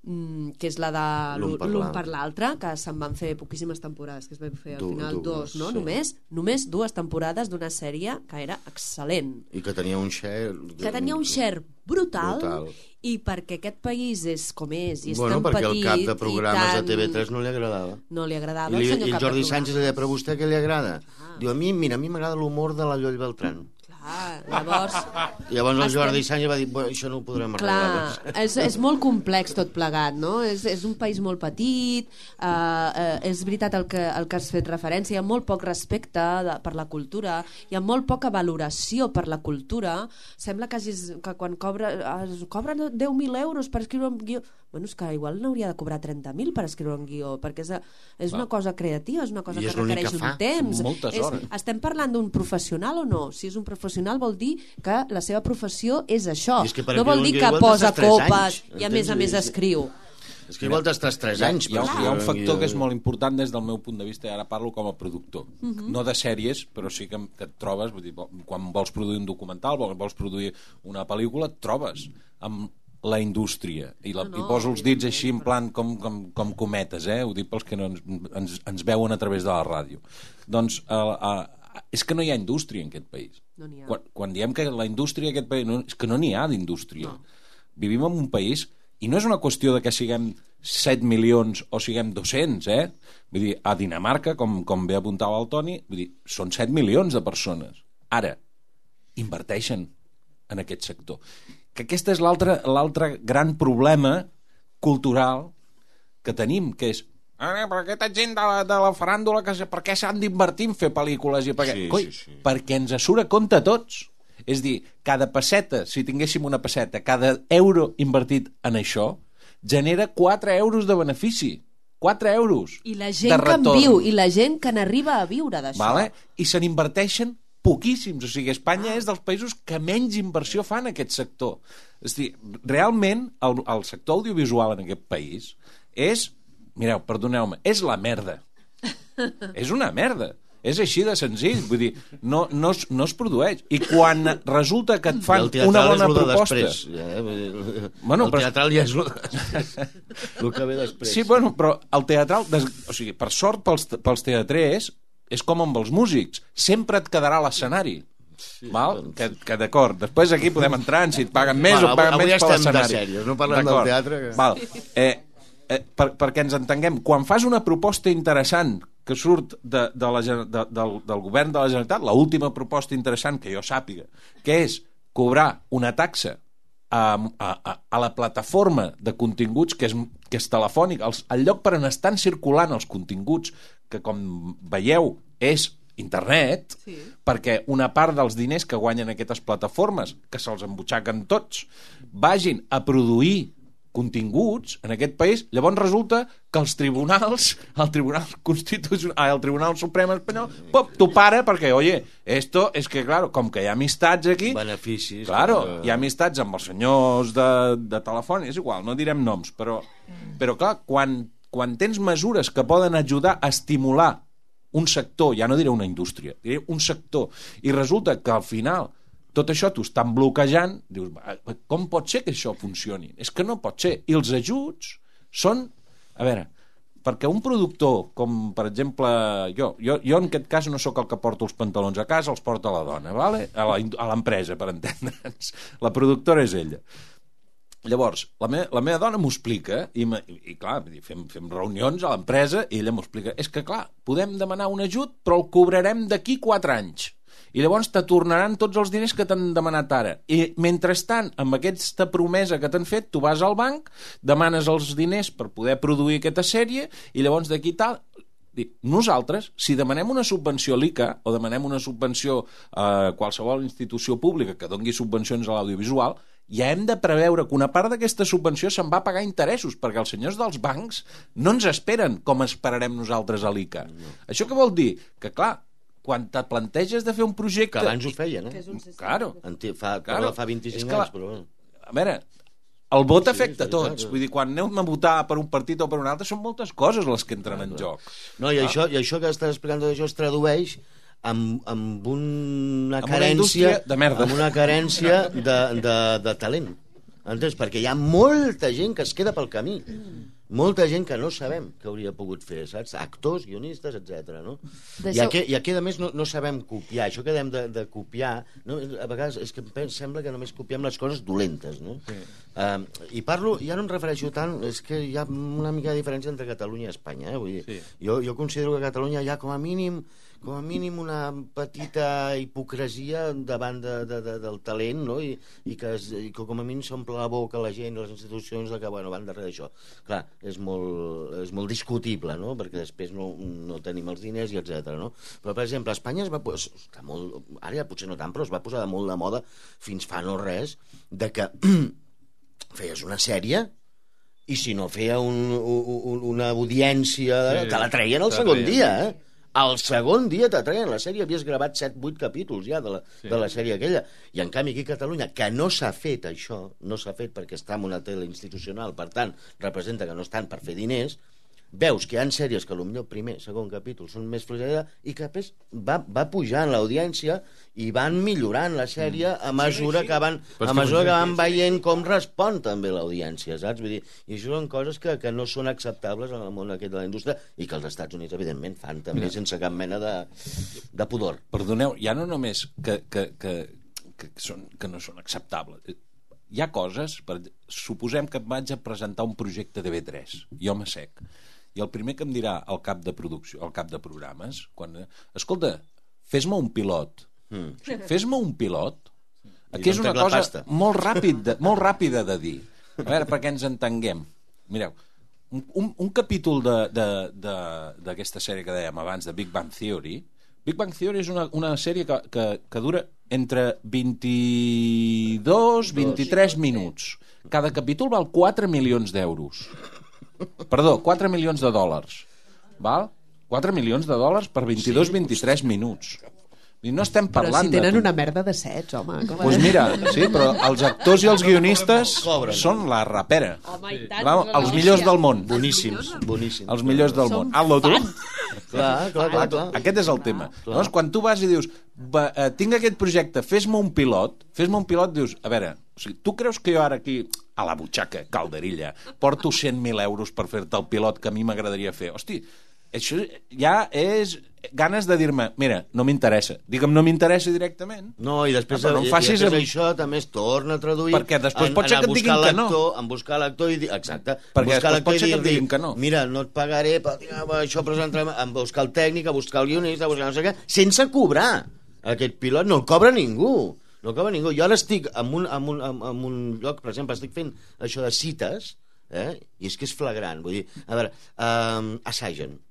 que és la de l'un per l'altre, que se'n van fer poquíssimes temporades, que es va fer al final 2, no? Només 2 temporades d'una sèrie que era excel·lent. I que tenia un share... brutal. I perquè aquest país és com és i és tan petit... perquè el cap de programes de TV3 no li agradava. No li agradava el senyor cap de programes. I el Jordi Sánchez li deia, però a vostè què li agrada? Diu, a mi m'agrada l'humor de la Lloll Beltrán. Llavors el Jordi Sánchez va dir, això no ho podrem arreglar. És molt complex tot plegat, no? És un país molt petit, és veritat el que has fet referència, hi ha molt poc respecte per la cultura, hi ha molt poca valoració per la cultura. Sembla que quan cobren 10.000 euros per escriure un guió, és que igual n'hauria de cobrar 30.000 per escriure un guió, perquè és una cosa creativa, és una cosa que requereix un temps. Moltes hores. Estem parlant d'un professional o no? Si és un professional vol dir que la seva professió és això. No vol dir que posa copes i a més escriu. És que igual t'estàs 3 anys. Hi ha un factor que és molt important des del meu punt de vista, i ara parlo com a productor. No de sèries, però sí que et trobes, vull dir, quan vols produir un documental, vols produir una pel·lícula, et trobes amb la indústria, i poso els dits així en plan com cometes, ho dic pels que no ens veuen a través de la ràdio. Doncs és que no hi ha indústria en aquest país. Quan diem que la indústria en aquest país, és que no n'hi ha d'indústria. Vivim en un país, i no és una qüestió de que siguem 7 milions o siguem 200, vull dir, a Dinamarca, com bé apuntava el Toni, vull dir, són 7 milions de persones. Ara, inverteixen en aquest sector. Que aquest és l'altre gran problema cultural que tenim, que és per aquesta gent de la faràndula, per què s'han d'invertir en fer pel·lícules? Perquè ens surt a compte a tots. És dir, cada pesseta, si tinguéssim una pesseta, cada euro invertit en això, genera 4 euros de benefici. 4 euros I la gent que en viu, i la gent que n'arriba a viure d'això. I se n'inverteixen poquíssims. O sigui, Espanya és dels països que menys inversió fa en aquest sector. És a dir, realment el sector audiovisual en aquest país és, mireu, perdoneu-me, és la merda. És una merda. És així de senzill, vull dir, no es produeix. I quan resulta que et fan una bona proposta... El teatral ja és el que ve després. Sí, bueno, però el teatral... O sigui, per sort pels teatrers, és com amb els músics. Sempre et quedarà l'escenari. Val? Que d'acord, després aquí podem entrar en si et paguen més o paguen menys per l'escenari. Avui estem de sèries, no parlem del teatre. Val. Perquè ens entenguem, quan fas una proposta interessant que surt del govern de la Generalitat, l'última proposta interessant que jo sàpiga, que és cobrar una taxa a la plataforma de continguts que és telefònic, el lloc per on estan circulant els continguts, que com veieu és internet, sí. Perquè una part dels diners que guanyen aquestes plataformes, que se'ls embutxaquen tots, vagin a produir continguts en aquest país, llavors resulta que els tribunals, el Tribunal Suprem espanyol, t'ho para perquè, oye, esto es que, claro, com que hi ha amistats aquí... Beneficis. Claro, hi ha amistats amb els senyors de telefònic, és igual, no direm noms, però clar, quan tens mesures que poden ajudar a estimular un sector, ja no diré una indústria, diré un sector, i resulta que al final tot això t'ho estan bloquejant, dius, com pot ser que això funcioni? És que no pot ser. I els ajuts són... A veure, perquè un productor, com per exemple jo en aquest cas no sóc el que porto els pantalons a casa, els porta la dona, ¿vale? A l'empresa, per entendre'ns. La productora és ella. Llavors, la meva dona m'ho explica i clar, fem reunions a l'empresa i ella m'ho explica. És que clar, podem demanar un ajut però el cobrarem d'aquí 4 anys. I llavors te tornaran tots els diners que t'han demanat ara. I mentrestant, amb aquesta promesa que t'han fet, tu vas al banc, demanes els diners per poder produir aquesta sèrie i llavors d'aquí tal... Nosaltres, si demanem una subvenció a l'ICA o demanem una subvenció a qualsevol institució pública que dongui subvencions a l'audiovisual, ja hem de preveure que una part d'aquesta subvenció se'n va a pagar interessos, perquè els senyors dels bancs no ens esperen com esperarem nosaltres a l'ICA. Això què vol dir? Que, clar, quan te planteges de fer un projecte... Que abans ho feien, Claro. Fa 25 anys, però... A veure, el vot afecta a tots. Vull dir, quan anem a votar per un partit o per un altre, són moltes coses les que entren en joc. No, i això que estàs explicant tot això es tradueix amb una carència... de merda. Amb una carència de talent. Entens? Perquè hi ha molta gent que es queda pel camí. Molta gent que no sabem que hauria pogut fer, saps? Actors, guionistes, etc. No? I aquí, a més, no sabem copiar. Això que dèiem de copiar, no? A vegades és que sembla que només copiem les coses dolentes, no? Sí. I parlo, ja no em refereixo tant, és que hi ha una mica de diferència entre Catalunya i Espanya. Vull dir, sí. Jo considero que a Catalunya hi ha com a mínim una petita hipocresia davant del talent, no? I que com a mínim s'omple la boca la gent i les institucions que van darrere d'això. Clar, és molt discutible, no? Perquè després no tenim els diners i etc. No? Però, per exemple, a Espanya està molt, ara ja potser no tant, però es va posar de molt de moda fins fa no res de que feies una sèrie i si no feia una audiència te la treien el segon dia, El segon dia t'atreien la sèrie, havies gravat 7-8 capítols ja de la sèrie aquella. I en canvi aquí a Catalunya, que no s'ha fet això, no s'ha fet perquè està en una tele institucional, per tant, representa que no estan per fer diners, veus que hi ha sèries que potser el primer, segon capítol són més fluixets i que després va pujant l'audiència i van millorant la sèrie a mesura que van veient com respon també l'audiència, saps? Vull dir, i això són coses que no són acceptables en el món aquest de la indústria i que els Estats Units, evidentment, fan també sense cap mena de pudor. Perdoneu, ja no només que no són acceptables. Hi ha coses, suposem que vaig a presentar un projecte de B3, jo m'assec, i el primer que em dirà el cap de producció, el cap de programes, escolta, fes-me un pilot. Fes-me un pilot, que és una cosa molt ràpida de dir. A veure, perquè ens entenguem. Mireu, un capítol d'aquesta sèrie que dèiem abans, de Big Bang Theory. Big Bang Theory és una sèrie que dura entre 22 i 23 minuts. Cada capítol val 4 milions d'euros. Perdó, 4 milions de dòlars. Val? 4 milions de dòlars per 22-23 minuts. I no estem Però parlant si tenen una merda de sets, home. Doncs mira, sí, però els actors i els guionistes són la rapera. Home, i tant. Els millors del món. Boníssims. Els millors del món. Hazlo tu. Clar. Aquest és el tema. Llavors, quan tu vas i dius tinc aquest projecte, fes-me un pilot, dius, a veure, o sigui, tu creus que jo ara aquí, a la butxaca, calderilla, porto 100.000 euros per fer-te el pilot que a mi m'agradaria fer? Hosti, això ja és ganes de dir-me, mira, no m'interessa. Digue'm, no m'interessa directament. No, i després, no em facis això també es torna a traduir... Perquè després pot ser que et diguin que no. En buscar l'actor i dir... Exacte. Perquè després pot ser que et diguin que no. Mira, no et pagaré, però això presentarem... En buscar el tècnic, a buscar el guionista, a buscar no sé què, sense cobrar. Aquest pilot no el cobra ningú. No el cobra ningú. Jo ara estic en un lloc, per exemple, estic fent això de cites, i és que és flagrant. Vull dir, a veure, assagen.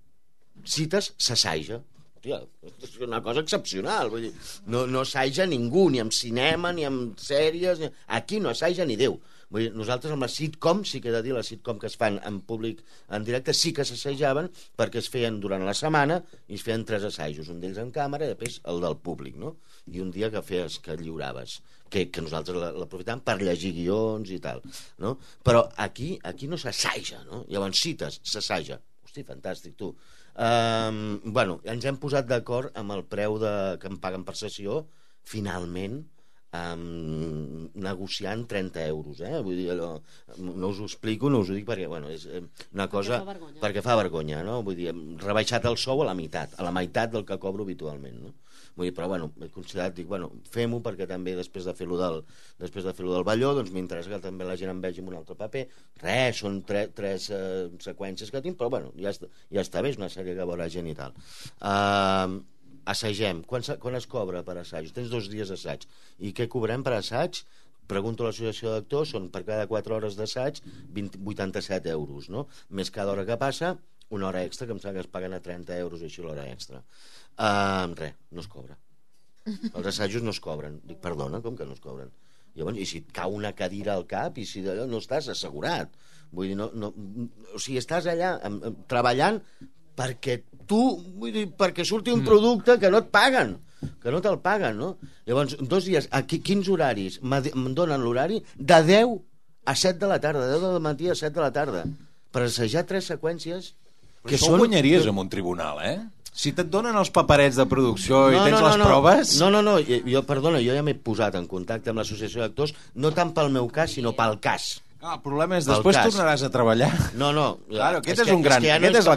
Cites s'assaja. Hòstia, és una cosa excepcional. Vull dir, no assaja ningú, ni amb cinema, ni amb sèries. Aquí no assaja ni Déu. Vull dir, nosaltres amb la sitcom, sí que he de dir, la sitcom que es fan en públic, en directe, sí que s'assajaven perquè es feien durant la setmana i es feien 3 assajos, un d'ells en càmera i després el del públic, no? I un dia que lliuraves, que nosaltres l'aprofitàvem per llegir guions i tal, no? Però aquí no s'assaja, no? Llavors cites, s'assaja. Hosti, fantàstic, tu. Bueno, ens hem posat d'acord amb el preu que em paguen per sessió, finalment, negociant 30 euros, vull dir, no us ho explico, no us ho dic perquè, bueno, és una cosa... Perquè fa vergonya, no? Vull dir, hem rebaixat el sou a la meitat del que cobro habitualment, no? Vull dir, però, bueno, he considerat, dic, bueno, fem-ho perquè també després de fer-lo del Balló, doncs m'interessa que també la gent em vegi en un altre paper. Res, són 3 seqüències que tinc, però, bueno, ja està bé, és una sèrie que veurà gent i tal. Assagem. Quan es cobra per assaig? Tens 2 dies d'assaig. I què cobrem per assaig? Pregunto a l'associació d'actors, són per cada 4 hores d'assaig 87 euros, no? Més cada hora que passa, una hora extra, que em sembla que es paguen a 30 euros així l'hora extra. Res, no es cobra. Els assajos no es cobren. Dic, perdona, com que no es cobren? Llavors, i si et cau una cadira al cap i si d'allò no estàs assegurat. Vull dir, o sigui, estàs allà treballant perquè perquè surti un producte que no et paguen, que no te'l paguen, no? Llavors, 2 dies, quins horaris? Em donen l'horari de 10 a 7 de la tarda, de 10 del matí a 7 de la tarda, per assajar 3 seqüències que són... guanyaries en un tribunal, Si et donen els paperets de producció i tens les proves... No, perdona, jo ja m'he posat en contacte amb l'associació d'actors, no tant pel meu cas, sinó pel cas. El problema és, després tornaràs a treballar. No. Claro, aquest és un gran...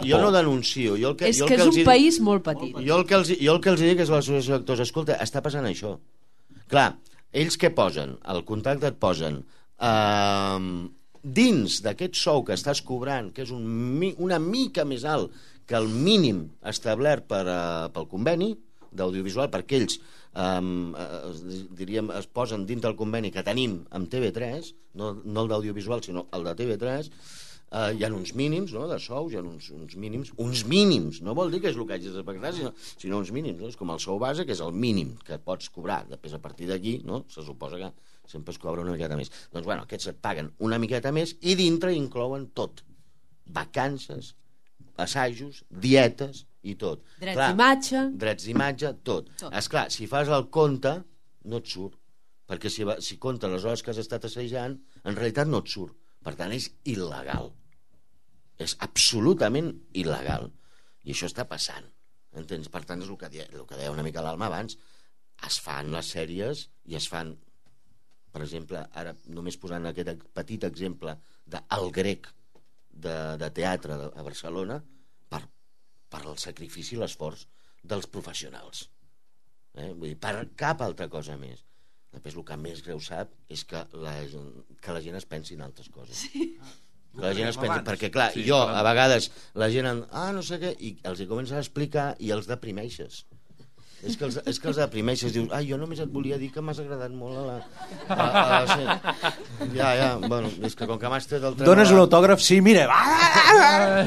Jo no denuncio. És que és un país molt petit. Jo el que els dic és a l'associació d'actors, escolta, està passant això. Clar, ells què posen? Al contracte et posen dins d'aquest sou que estàs cobrant, que és una mica més alt que el mínim establert pel conveni d'audiovisual, perquè ells diríem, es posen dins del conveni que tenim amb TV3, no el d'audiovisual sinó el de TV3, hi ha uns mínims, no?, de sous, hi ha uns mínims, no vol dir que és el que hagis de pagar, sinó uns mínims, no? És com el sou base, que és el mínim que pots cobrar, després a partir d'aquí, no?, se suposa que sempre es cobra una miqueta més. Doncs bueno, aquests et paguen una miqueta més i dintre inclouen tot, vacances, assajos, dietes i tot. Drets d'imatge, tot. Esclar, si fas el compte, no et surt, perquè si comptes les hores que has estat assajant, en realitat no et surt. Per tant, és il·legal. És absolutament il·legal. I això està passant. Entens? Per tant, és el que deia una mica l'Alma abans. Es fan les sèries i es fan, per exemple, ara només posant aquest petit exemple d'El Grec de teatre a Barcelona, per el sacrifici i l'esforç dels professionals. Vull dir, per cap altra cosa més. Després el que més greu sap és que la gent es pensi en altres coses. Que la gent es pensi, perquè clar, a vegades la gent no sé què, i els hi comença a explicar i els deprimeixes. És que els deprimeixes, dius, jo només et volia dir que m'has agradat molt a la... bueno, és que com que m'has tret el tema... Dones un autògraf, sí, mira...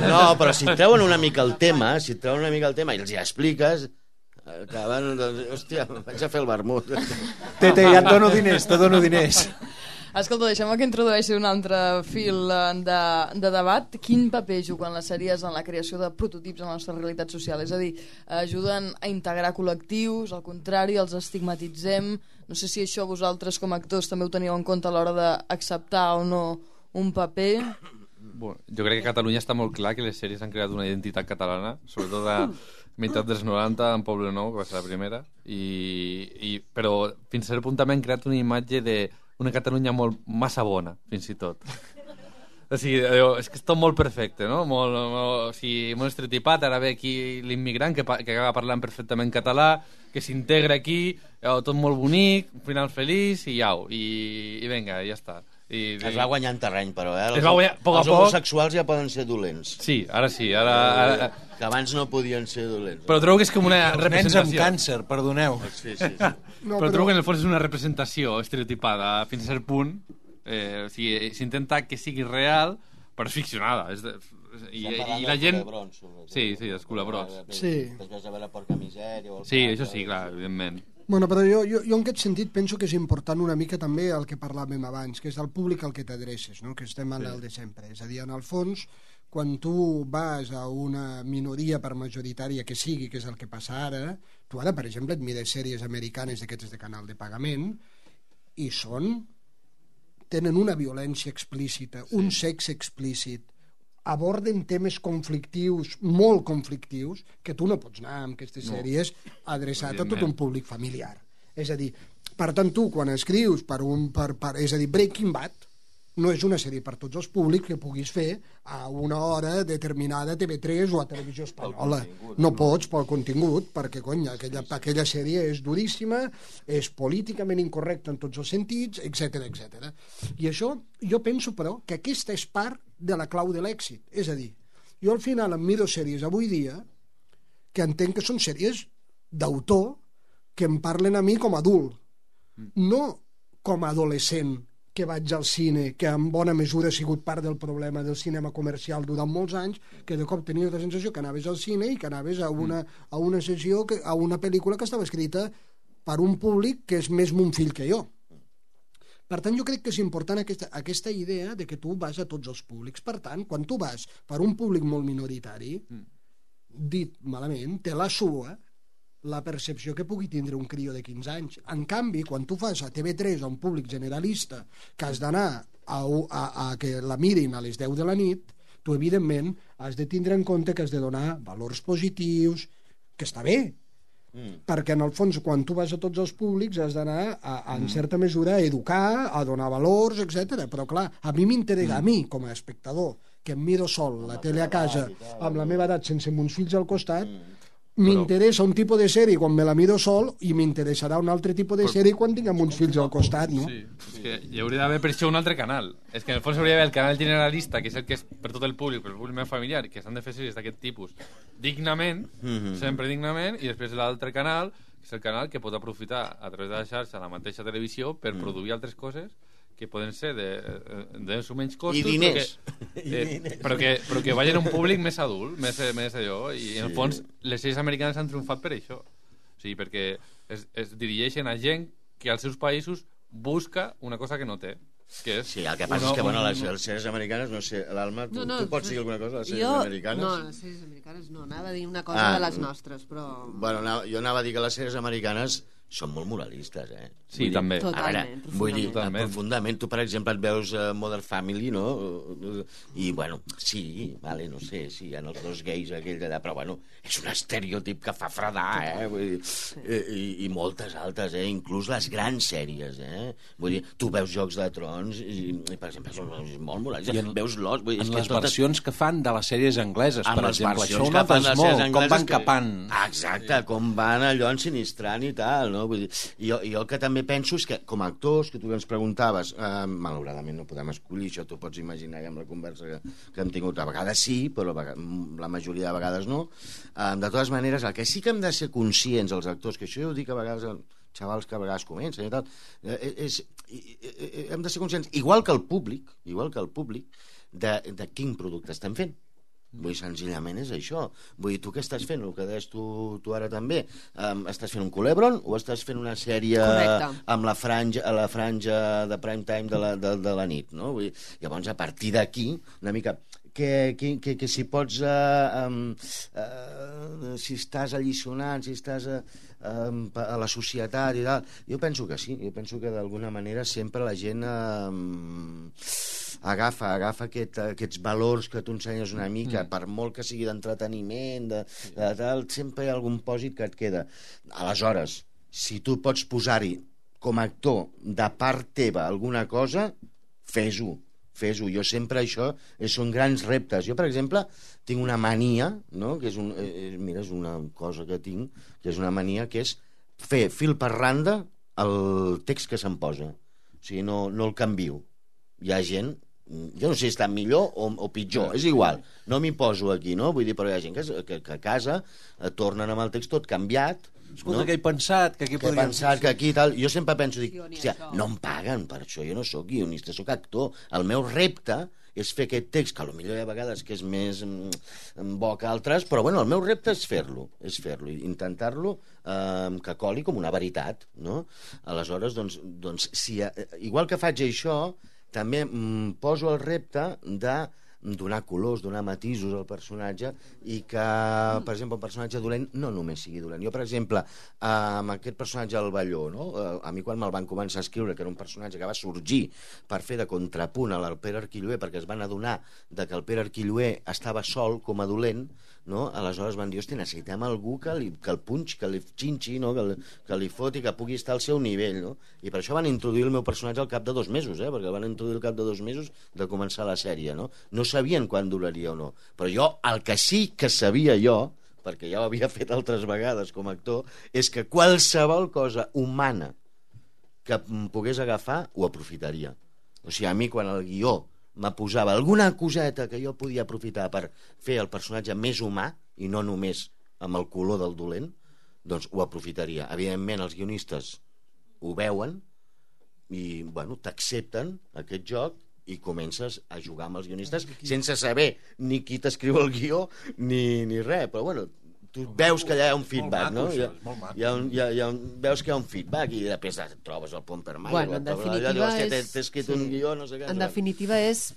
No, però si et treuen una mica el tema, i els hi expliques, acaben, hòstia, vaig a fer el vermut. Tete, ja et dono diners, Escolta, deixem que introdueixi un altre fil de debat. Quin paper juguen les sèries en la creació de prototips en la nostra realitat social? És a dir, ajuden a integrar col·lectius, al contrari, els estigmatitzem. No sé si això vosaltres com a actors també ho teníeu en compte a l'hora d'acceptar o no un paper. Bueno, jo crec que a Catalunya està molt clar que les sèries han creat una identitat catalana, sobretot a meitat dels 90, en Poble Nou, que va ser la primera, però fins a cert punt també han creat una imatge d'una Catalunya molt massa bona, fins i tot. O sigui, és que és tot molt perfecte, no? O sigui, molt estereotipat. Ara ve aquí l'immigrant que acaba parlant perfectament català, que s'integra aquí, tot molt bonic, un final feliç i au, i vinga, ja està. Es va guanyant terreny, però, Es va guanyar, poc a els poc. homosexuals ja poden ser dolents. Sí, ara sí. Ara... Que abans no podien ser dolents. Però trobo que és com una Nens representació. amb càncer, perdoneu. Sí. No, Però trobo que en el fons és una representació estereotipada fins a cert punt. O sigui, s'intenta que sigui real, però és ficcionada. I la gent... Sí, els culebrons. Sí. Després de veure Porca Misèria... Sí, això sí, clar, evidentment. Bueno, però jo en aquest sentit penso que és important una mica també el que parlàvem abans, que és el públic al que t'adreces, no? Que estem en el de sempre. És a dir, en el fons, quan tu vas a una minoria per majoritària que sigui, que és el que passa ara, tu ara, per exemple, et mires sèries americanes d'aquestes de canal de pagament i tenen una violència explícita, un sexe explícit, aborden temes conflictius, molt conflictius, que tu no pots anar amb aquestes sèries adreçat a tot un públic familiar. És a dir, per tant, tu, quan escrius és a dir, Breaking Bad no és una sèrie per tots els públics que puguis fer a una hora determinada a TV3 o a Televisió Espanyola. No pots pel contingut, perquè, cony, aquella sèrie és duríssima, és políticament incorrecta en tots els sentits, etc. I això, jo penso, però, que aquesta és part de la clau de l'èxit. És a dir, jo al final em miro sèries avui dia que entenc que són sèries d'autor que em parlen a mi com a adult, no com a adolescent que vaig al cine, que en bona mesura ha sigut part del problema del cinema comercial durant molts anys, que de cop tenies la sensació que anaves al cine i que anaves a una sessió, a una pel·lícula que estava escrita per un públic que és més mon fill que jo. Per tant, jo crec que és important aquesta idea de que tu vas a tots els públics. Per tant, quan tu vas per un públic molt minoritari, dit malament, te la sua la percepció que pugui tindre un crió de 15 anys. En canvi, quan tu fas a TV3 a un públic generalista que has d'anar a que la mirin a les 10 de la nit, tu, evidentment, has de tindre en compte que has de donar valors positius, que està bé, perquè, en el fons, quan tu vas a tots els públics has d'anar, en certa mesura, a educar, a donar valors, etc. Però, clar, a mi m'interessa, a mi, com a espectador, que em miro sol la tele a casa, amb la meva edat, sense mons fills al costat, m'interessa un tipus de sèrie quan me la miro sol i m'interessarà un altre tipus de sèrie quan tinguem uns fills al costat, no? Sí, és que hi hauria d'haver per això un altre canal. És que en el fons hauria d'haver el canal generalista, que és el que és per tot el públic, per el públic més familiar, que s'han de fer sèries d'aquest tipus dignament, sempre dignament, i després l'altre canal, que és el canal que pot aprofitar a través de la xarxa la mateixa televisió per produir altres coses que poden ser de menys costos, I diners. però que vagin a un públic més adult, més allò, i en el fons les sèries americanes han triomfat per això. O sigui, perquè es dirigeixen a gent que als seus països busca una cosa que no té. Que és Sí, el que passa és que, bueno, les sèries americanes, no sé, l'Alma, tu pots dir alguna cosa de les sèries americanes? No, les sèries americanes no, anava a dir una cosa de les nostres, però... Bueno, jo anava a dir que les sèries americanes són molt moralistes, Sí, també. Totalment, Vull dir, Totalment. profundament. Tu, per exemple, et veus Modern Family, no? I, bueno, sí, vale, no sé, sí, hi ha els dos gais aquell d'allà, però, bueno, és un estereotip que fa fredar, Vull dir, i moltes altres, Inclús les grans sèries, Vull dir, tu veus Jocs de Trons i per exemple, són molt moralistes. Veus Lost, vull dir... En les versions que fan de les sèries angleses, per exemple, això ho que fan notes les molt, sèries com van angleses capant. Exacte, com van allò ensinistrant i tal, no? Vull dir, jo el que també penso és que, com a actors, que tu ens preguntaves, malauradament no podem escollir, això t'ho pots imaginar ja amb la conversa que hem tingut, a vegades sí, però la majoria de vegades no. De totes maneres, el que sí que hem de ser conscients, els actors, que això jo ho dic a vegades als xavals que a vegades comencen i tal, hem de ser conscients, igual que el públic, de quin producte estem fent. Vull dir, senzillament és això. Vull dir, tu què estàs fent? El que deies tu ara també. Estàs fent un Culebron o estàs fent una sèrie amb la franja de prime time de la nit, no? Vull dir, llavors, a partir d'aquí, una mica... que si pots si estàs alliçonant, si estàs a la societat i tal, jo penso que sí, jo penso que d'alguna manera sempre la gent agafa aquests valors que tu ensenyes una mica, per molt que sigui d'entreteniment, de tal, sempre hi ha algun pòsit que et queda. Aleshores, si tu pots posar-hi com a actor de part teva alguna cosa, fes-ho. Jo sempre això són grans reptes. Jo, per exemple, tinc una mania, no? Que és mira, és una cosa que tinc, que és una mania, que és fer fil per randa el text que se'm posa. O sigui, no el canvio. Hi ha gent, jo no sé si està millor o pitjor, és igual, no m'hi poso aquí, no? Vull dir, però hi ha gent que a casa tornen amb el text tot canviat. Escolta, que he pensat, que aquí podríem... que aquí tal... Jo sempre penso, dic, hòstia, no em paguen per això, jo no sóc guionista, sóc actor. El meu repte és fer aquest text, que potser hi ha vegades que és més bo que altres, però bueno, el meu repte és fer-lo, intentar-lo que coli com una veritat, no? Aleshores, doncs igual que faig això, també poso el repte de donar colors, donar matisos al personatge i que, per exemple, un personatge dolent no només sigui dolent. Jo, per exemple, amb aquest personatge del Balló, no? A mi quan me'l van començar a escriure, que era un personatge que va sorgir per fer de contrapunt al Pere Arquilloé, perquè es van adonar que el Pere Arquilloé estava sol com a dolent, no? Aleshores van dir, hòstia, necessitem algú que el punxi, que li xinxi, no? que li foti, que pugui estar al seu nivell, no? I per això van introduir el meu personatge al cap de 2 mesos, perquè el van introduir al cap de 2 mesos de començar la sèrie, no? No sabien quan duraria o no, però jo el que sí que sabia jo, perquè ja ho havia fet altres vegades com a actor, és que qualsevol cosa humana que em pogués agafar ho aprofitaria. O sigui, a mi quan el guió me posava alguna coseta que jo podia aprofitar per fer el personatge més humà i no només amb el color del dolent, doncs ho aprofitaria. Evidentment els guionistes ho veuen i bueno, t'accepten aquest joc i comences a jugar amb els guionistes sense saber ni qui t'escriu el guió ni res, però bueno, tu veus que hi ha un feedback, no? Veus que hi ha un feedback i després et trobes el pont per mai. Bueno, en definitiva t'he escrit un guió, no sé què. En definitiva és,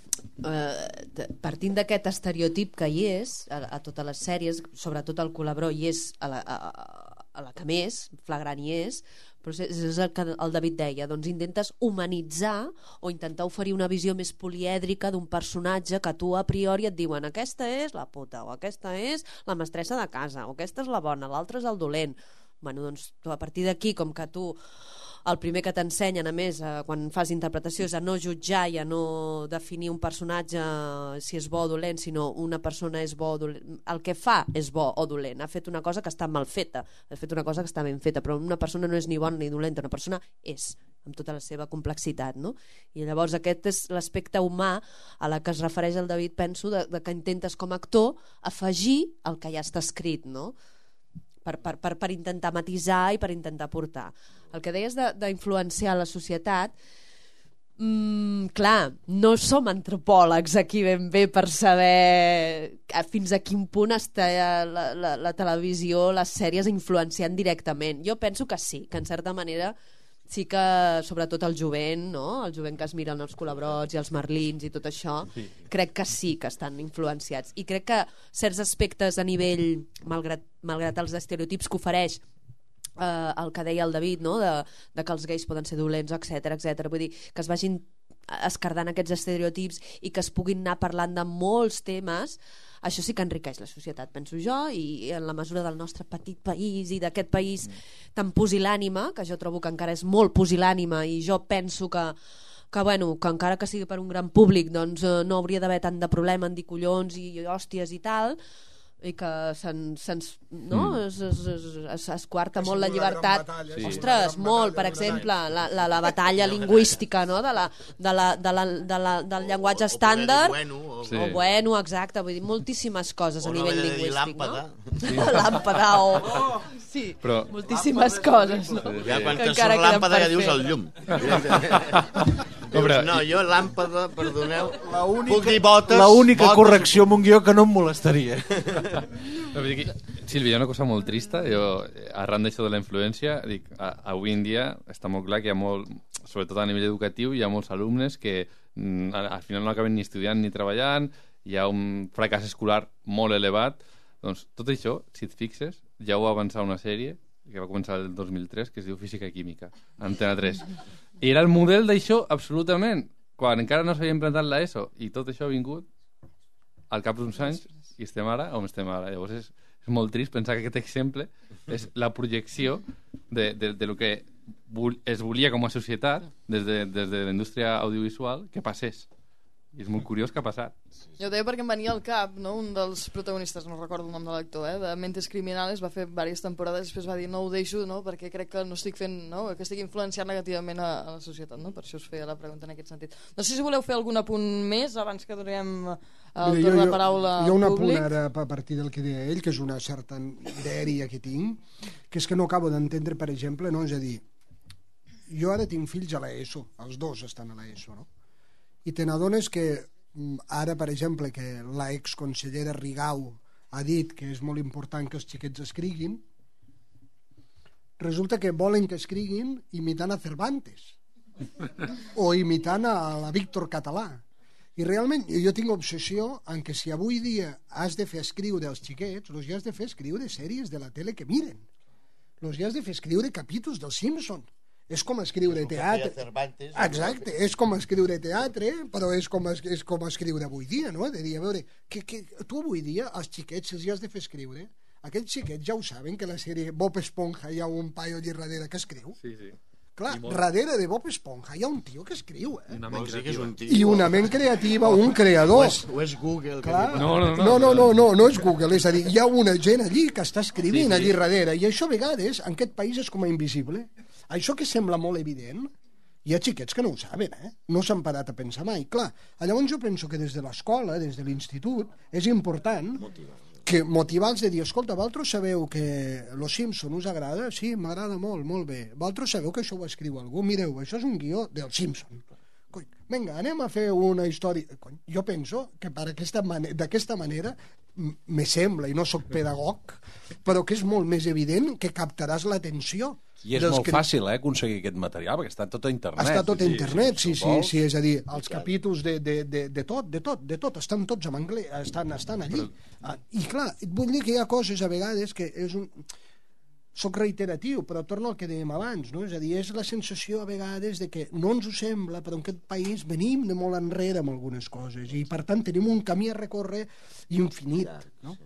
partint d'aquest estereotip que hi és a totes les sèries, sobretot al Culebró hi és a la que més flagrant hi és, però és el que el David deia, doncs intentes humanitzar o intentar oferir una visió més polièdrica d'un personatge que tu a priori et diuen aquesta és la puta, o aquesta és la mestressa de casa, o aquesta és la bona, l'altra és el dolent. Bueno, doncs a partir d'aquí, com que tu el primer que t'ensenyen, a més, quan fas interpretació, és a no jutjar i a no definir un personatge si és bo o dolent, sinó una persona és bo o dolent. El que fa és bo o dolent. Ha fet una cosa que està mal feta, ha fet una cosa que està ben feta, però una persona no és ni bona ni dolenta, una persona és, amb tota la seva complexitat, no? I llavors aquest és l'aspecte humà a la que es refereix el David, penso, de que intentes com a actor afegir el que ja està escrit, no? Per intentar matisar i per intentar portar. El que deies d'influenciar la societat, clar, no som antropòlegs aquí ben bé per saber fins a quin punt està la televisió, les sèries influenciant directament. Jo penso que sí, que en certa manera sí que, sobretot el jovent, no? El jovent que es miren els Culebrots i els Merlins i tot això, crec que sí que estan influenciats. I crec que certs aspectes a nivell, malgrat els estereotips que ofereix el que deia el David, no? de que els gais poden ser dolents, etc. Vull dir, que es vagin escardant aquests estereotips i que es puguin anar parlant de molts temes, això sí que enriqueix la societat, penso jo, i en la mesura del nostre petit país i d'aquest país tan pusil·lànime, que jo trobo que encara és molt pusil·lànime, i jo penso que encara que sigui per un gran públic, doncs no hauria d'haver tant de problema en dir collons i hòsties i tal, i que es quarta molt la llibertat. Ostres, molt, per exemple, la batalla lingüística, no? del llenguatge estàndard, o bueno, exacte, vull dir, moltíssimes coses a nivell lingüístic, no? Làmpada o... Sí, moltíssimes coses, no? Ja quan te surt làmpada ja dius el llum. No, jo làmpada, perdoneu, puc dir botes... L'única correcció amb un guió que no em molestaria. Sílvia, hi ha una cosa molt trista. Jo, arran d'això de la influència, dic, avui en dia està molt clar que hi ha molt, sobretot a nivell educatiu, hi ha molts alumnes que al final no acaben ni estudiant ni treballant, hi ha un fracàs escolar molt elevat. Doncs tot això, si et fixes, ja ho va avançar una sèrie que va començar el 2003, que es diu Física i Química, Antena 3. I era el model d'això, absolutament, quan encara no s'havia implantat l'ESO, i tot això ha vingut al cap d'uns anys, i estem ara on estem ara. Llavors és molt trist pensar que aquest exemple és la projecció de lo que es volia com a societat des de la indústria audiovisual que passés. I és molt curiós que ha passat. Jo ho deia perquè em venia al cap, no? Un dels protagonistes, no recordo el nom de l'actor, de Mentes Criminales, va fer diverses temporades i després va dir no ho deixo, no? Perquè crec que no estic fent, no? Que estic influenciant negativament a la societat, no? Per això us feia la pregunta en aquest sentit. No sé si voleu fer algun apunt més abans que donem el torn de paraula al públic. Hi ha un apunt ara a partir del que deia ell, que és una certa dèria que tinc, que és que no acabo d'entendre, per exemple, no? És a dir, jo ara tinc fills a l'ESO, els dos estan a l'ESO, no? I te n'adones que ara, per exemple, que la exconsellera Rigau ha dit que és molt important que els xiquets escriguin, resulta que volen que escriguin imitant a Cervantes o imitant a la Víctor Català. I realment jo tinc obsessió en que si avui dia has de fer escriure els xiquets, els has de fer escriure sèries de la tele que miren, els has de fer escriure capítols dels Simpsons. És com escriure teatre. Exacte, és com escriure teatre, però és com escriure avui dia, no? De dir, a veure, que tu avui dia, als xiquets, si els has de fer escriure, aquests xiquets ja ho saben, que la sèrie Bob Esponja hi ha un paio allà darrere que escriu. Sí, sí. Clar, darrere de Bob Esponja hi ha un tio que escriu, I una ment creativa, un creador. O és Google. Clar. No és Google, és a dir, hi ha una gent allí que està escrivint allí darrere, i això a vegades en aquest país és com a invisible. Això que sembla molt evident, hi ha xiquets que no ho saben, no s'han parat a pensar mai. Clar, llavors jo penso que des de l'escola, des de l'institut, és important que motivar-los de dir, escolta, vosaltres sabeu que Los Simpson us agrada? Sí, m'agrada molt, molt bé. Vosaltres sabeu que això ho escriu algú? Mireu, això és un guió del Simpson. Cony, vinga, anem a fer una història. Cony, jo penso que d'aquesta manera me sembla, i no sóc pedagog, però que és molt més evident que captaràs l'atenció. I és molt fàcil, aconseguir aquest material, perquè està tot a internet. Està tot a internet, sí, és a dir, els capítols de tot, estan tots en anglès, estan allí. I clar, vull dir que hi ha coses a vegades que és un... Soc reiteratiu, però torno al que dèiem abans, no? És a dir, és la sensació a vegades de que no ens ho sembla, però en aquest país venim de molt enrere amb algunes coses, i per tant tenim un camí a recórrer infinit, no?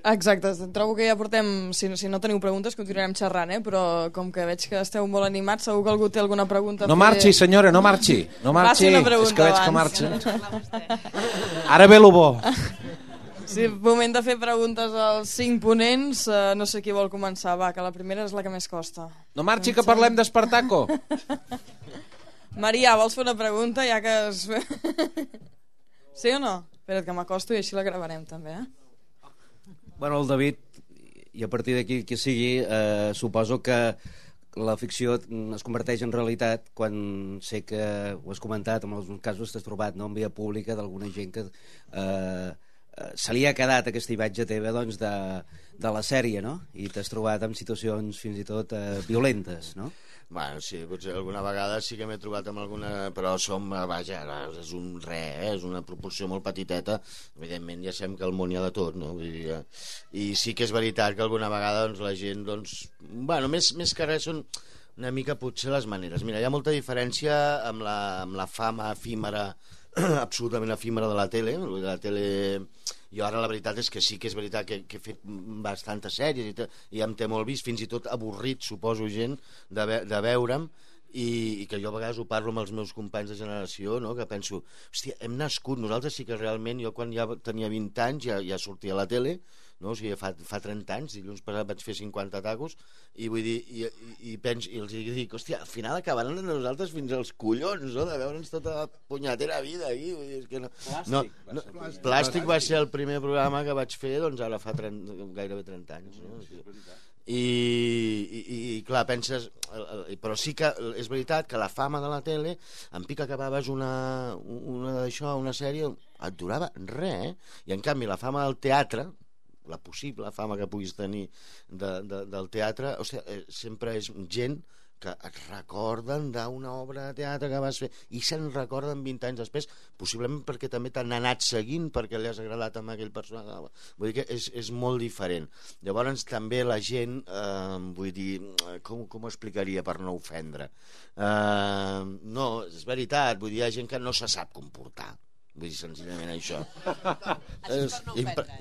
Exacte, trobo que ja portem, si no teniu preguntes continuarem xerrant, però com que veig que esteu molt animats, segur que algú té alguna pregunta No marxi, senyora, no marxi. Faci una pregunta és que veig que abans. marxa. Ara ve lo bo. Sí, moment de fer preguntes als 5 ponents. No sé qui vol començar, va, que la primera és la que més costa. No marxi, que parlem d'Espartaco. Maria, vols fer una pregunta, ja que... Sí o no? Espera't que m'acosto i així la gravarem també, Bueno, el David, i a partir d'aquí que sigui, suposo que la ficció es converteix en realitat quan sé que ho has comentat, en alguns casos t'has trobat en via pública d'alguna gent que se li ha quedat aquesta imatge teva doncs, de la sèrie, no? I t'has trobat en situacions fins i tot violentes, no? Bueno, sí, potser alguna vegada sí que m'he trobat amb alguna... Però vaja, és un és una proporció molt petiteta. Evidentment ja sabem que al món hi ha de tot, no? Vull dir, i sí que és veritat que alguna vegada doncs, la gent, doncs... Bueno, més que res són una mica potser les maneres. Mira, hi ha molta diferència amb la fama efímera, absolutament efímera de la tele. La tele... Jo ara la veritat és que sí que és veritat que he fet bastantes sèries i em té molt vist, fins i tot avorrit, suposo, gent de veure'm, i que jo a vegades ho parlo amb els meus companys de generació, no? Que penso, hòstia, hem nascut, nosaltres sí que realment, jo quan ja tenia 20 anys ja sortia a la tele, no? O sigui, fa 30 anys, dilluns passat vaig fer 50 tacos, i vull dir, i els dic, hòstia, al final acabaran de nosaltres fins als collons, no? De veure'ns tota la punyetera vida aquí, vull dir, és que no... Plàstic va ser el primer programa que vaig fer, doncs ara fa gairebé 30 anys, no? I clar, penses... Però sí que és veritat que la fama de la tele, en pic acabaves una sèrie, et durava res, I en canvi la fama del teatre, la possible fama que puguis tenir del teatre, o sigui, sempre és gent que et recorden d'una obra de teatre que vas fer i se'n recorden 20 anys després, possiblement perquè també t'han anat seguint perquè li has agradat amb aquell personatge. Vull dir que és molt diferent. Llavors també la gent, vull dir, com ho explicaria per no ofendre? No, és veritat, vull dir, hi ha gent que no se sap comportar. Vull dir, senzillament això.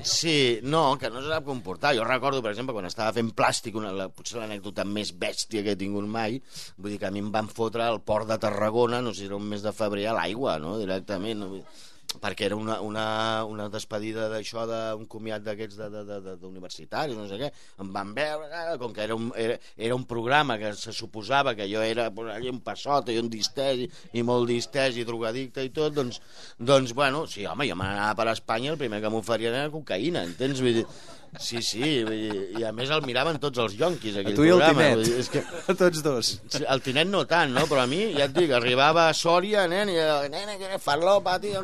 Sí, no, que no se sap comportar. Jo recordo, per exemple, quan estava fent plàstic, potser l'anècdota més bèstia que he tingut mai, vull dir que a mi em van fotre al port de Tarragona, no sé si era un mes de febrer, a l'aigua, no?, directament, no? Perquè era una despedida d'això, d'un comiat d'aquests d'universitaris, no sé què, em van veure, com que era un programa que se suposava que jo era allà un passot i un distès i molt distès i drogadicte i tot, doncs bueno, sí, home, jo m'anava per Espanya, el primer que m'oferien era cocaïna, entens? Vull dir, sí, i a més el miraven tots els yonquis, aquell programa. A tu i el Tinet, a tots dos. El Tinet no tant, no? Però a mi, ja et dic, arribava a Sòria, nen, i nena, que farlopa, tio,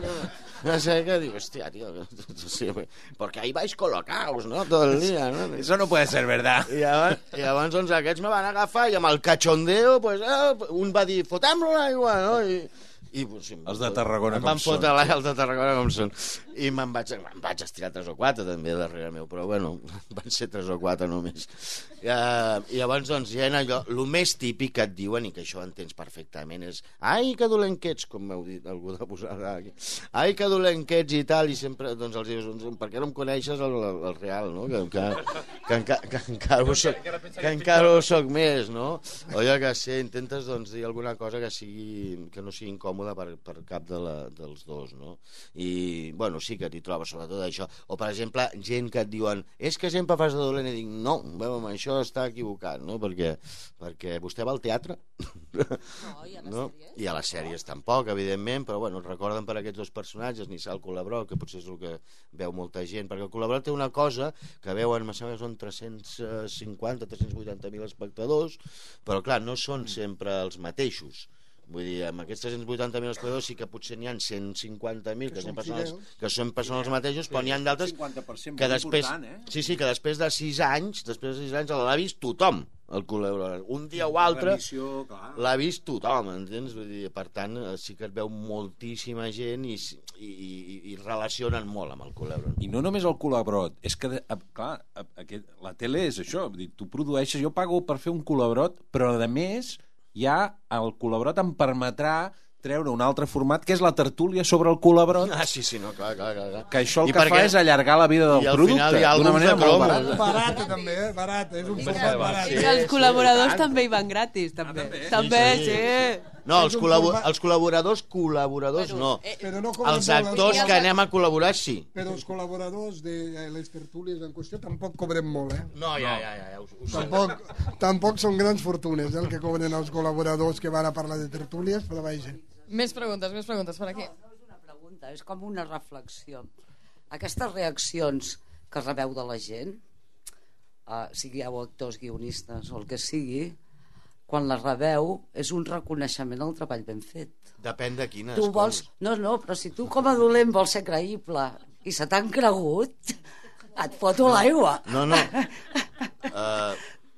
no sé què, digo, hòstia, tío, sí, porque ahí vais colocados, ¿no?, todo el día, ¿no? Eso no puede ser verdad. I llavors, doncs, aquests me van agafar i amb el cachondeo, pues, un va dir, fotem-lo a l'aigua, no? I pues, sí, els de Tarragona com són. Em van fotre els de Tarragona com són. I me'n vaig estirar 3 o 4 també darrere meu, però bueno, van ser 3 o 4 només. I llavors, doncs, hi ha allò, el més típic que et diuen, i que això entens perfectament, és ai, que dolent que ets, com m'heu dit algú de posar aquí, ai, que dolent que ets i tal, i sempre, doncs, els dius, per què no em coneixes el real, no? Que encara ho soc més, no? O jo que sé, intentes, doncs, dir alguna cosa que no sigui incòmoda per cap dels dos, no? I, bueno, sí que t'hi trobes, sobretot això. O, per exemple, gent que et diuen és que sempre fas de dolent, i dic, no, veure, això està equivocat, no? Perquè vostè va al teatre? No, i a les sèries? I a les sèries tampoc, evidentment, però, bueno, recorden per aquests dos personatges, Nissal Colabró, que potser és el que veu molta gent, perquè el Colabró té una cosa que veuen, em sembla que són 350, 380.000 espectadors, però, clar, no són sempre els mateixos. Vull dir, amb aquests 380.000 espectadors sí que potser n'hi ha 150.000 que sempre són els mateixos, però n'hi ha d'altres que després, que després de 6 anys l'ha vist tothom, el Colabró. Un dia o altre l'ha vist tothom, entens? Vull dir, per tant, sí que et veu moltíssima gent i relacionen molt amb el Colabró. I no només el Colabró, és que, clar, la tele és això, tu produeixes, jo pago per fer un Colabrot, però a més ja el Colabrot em permetrà treure un altre format, que és la tertúlia sobre el Colabrot. Ah, sí, no, clar. Que això el que fa és allargar la vida del producte d'una manera molt barata. Barata, també, barat, és un format barat. I els col·laboradors també hi van gratis, també. També, sí. No, els col·laboradors no. Els actors que anem a col·laborar, sí. Però els col·laboradors de les tertúlies en qüestió tampoc cobrem molt, No, ja. Tampoc són grans fortunes, el que cobren els col·laboradors que van a parlar de tertúlies, però vaja. Més preguntes per aquí. No és una pregunta, és com una reflexió. Aquestes reaccions que rebeu de la gent, sigueu actors, guionistes o el que sigui, quan la rebeu és un reconeixement al treball ben fet. Depèn de quines. Tu vols... No, però si tu com a dolent vols ser creïble i se t'han cregut, et foto l'aigua. No.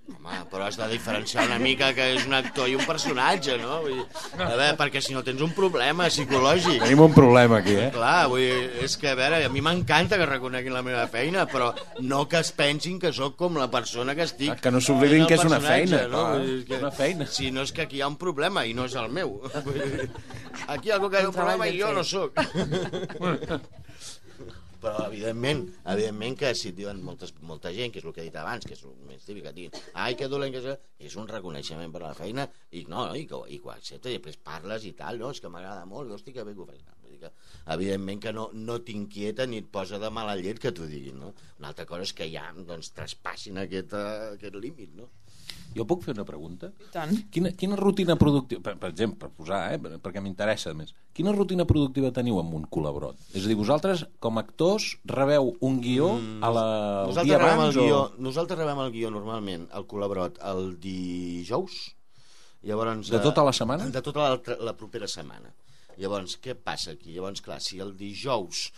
Home, però has de diferenciar una mica que és un actor i un personatge, no? Vull dir, a veure, perquè si no tens un problema psicològic. Tenim un problema aquí, Clar, vull dir, és que, a veure, a mi m'encanta que reconeguin la meva feina, però no que es pensin que sóc com la persona que estic... Que no s'oblidin que és una feina, no? És una feina. Si no és que aquí hi ha un problema i no és el meu. Aquí hi ha algú que ha un problema i jo no sóc. Però evidentment que si et diuen molta gent, que és el que he dit abans, que és el més típic, que et diguin ai, que dolent que és un reconeixement per la feina i que ho accepta i després parles i tal, no, és que m'agrada molt, hosti, que bé que ho fas. Vull dir que, evidentment que no t'inquieta ni et posa de mala llet que t'ho diguin, no? Una altra cosa és que ja, doncs, traspassin aquest límit, no? Jo puc fer una pregunta? I tant. Quina rutina productiva, per exemple, per posar, perquè m'interessa més, quina rutina productiva teniu amb un col·laborot? És a dir, vosaltres, com a actors, rebeu un guió el dia abans? Nosaltres rebem el guió normalment, el col·laborot, el dijous. Llavors, de tota la setmana? De tota la propera setmana. Llavors, què passa aquí? Llavors, clar, si el dijous,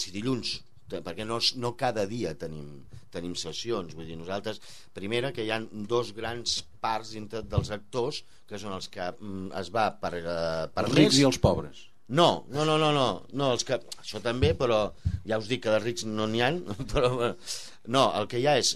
si dilluns, perquè no cada dia tenim sessions, vull dir, nosaltres, primera, que hi ha dos grans parts dintre dels actors, que són els que es va per els més... rics i els pobres. No, els que... Això també, però ja us dic que de rics no n'hi ha, però... No, el que hi ha és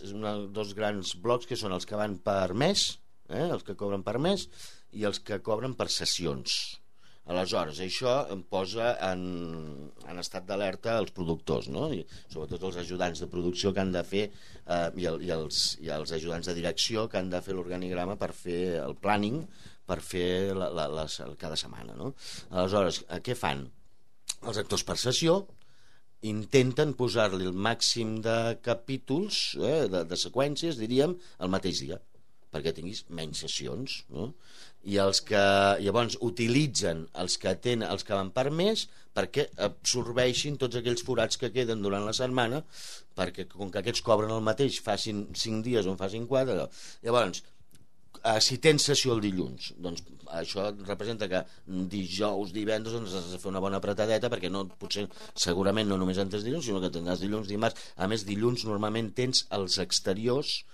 dos grans blocs que són els que van per mes, els que cobren per mes, i els que cobren per sessions. Aleshores, això em posa en estat d'alerta els productors, no? I sobretot els ajudants de producció que han de fer i els ajudants de direcció que han de fer l'organigrama per fer el planning, per fer cada setmana, no? Aleshores, què fan? Els actors per sessió intenten posar-li el màxim de capítols, de seqüències, diríem, el mateix dia, perquè tinguis menys sessions, no? I els que llavors utilitzen els que van per més perquè absorbeixin tots aquells forats que queden durant la setmana, perquè com que aquests cobren el mateix, facin 5 dies o en facin 4, llavors si tens sessió el dilluns, doncs això representa que dijous, divendres has de fer una bona apretadeta, perquè potser segurament no només en tens dilluns, sinó que tindràs dilluns, dimarts. A més, dilluns normalment tens els exteriors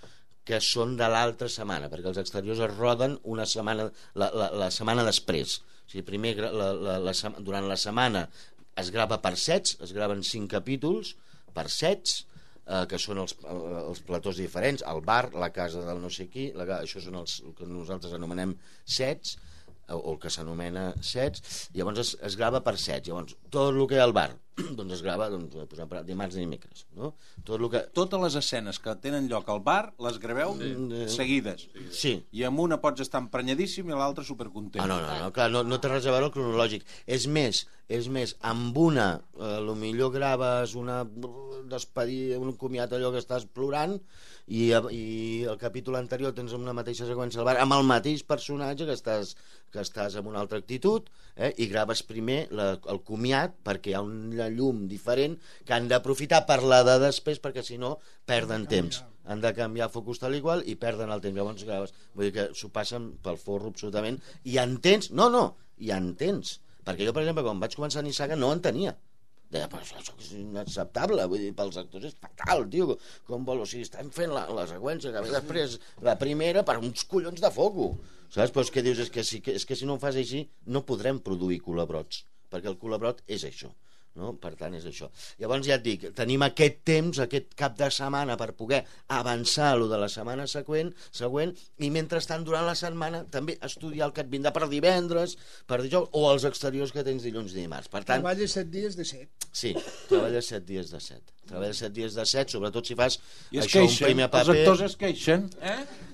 que són de l'altra setmana, perquè els exteriors es roden una setmana, la setmana després. O sigui, primer, durant la setmana es grava per sets, es graven 5 capítols per sets, que són els platós diferents, el bar, la casa del no sé qui, això són els que nosaltres anomenem sets, o el que s'anomena sets, llavors es grava per sets. Llavors, tot el que hi ha al bar doncs es grava dimarts i dimecres, no? Totes les escenes que tenen lloc al bar les graveu seguides. Sí. I amb una pots estar emprenyadíssim i l'altra supercontent. No, clar, no té res a veure el cronològic. És més, amb una potser graves una despedida, un comiat, allò que estàs plorant, i el capítol anterior tens una mateixa seqüència al bar amb el mateix personatge que estàs amb una altra actitud, i graves primer el comiat perquè hi ha una llum diferent que han d'aprofitar per la de després, perquè si no perden temps, han de canviar focus tal i qual i perden el temps. Llavors graves, vull dir que s'ho passen pel forro absolutament, i entens, i entens, perquè jo per exemple quan vaig començar a Nissaga no en tenia. Deia, però això és inacceptable, vull dir, pels actors és fatal, tio, com vol, o sigui, estem fent la seqüència que ve després, la primera, per uns collons de foco, saps? Però és que dius, és que si no ho fas així no podrem produir col·labrots, perquè el col·labrot és això, no? Per tant és això. Llavors ja et dic, tenim aquest temps, aquest cap de setmana per poder avançar lo de la setmana següent, i mentrestant durant la setmana també estudiar el que et vindrà per divendres, per dijous, o els exteriors que tens dilluns i dimarts. Per tant, treballes 7 dies de 7. Sí, treballes 7 dies de 7. Treballes 7 dies de 7, sobretot si fas un primer paper. Els actors es queixen,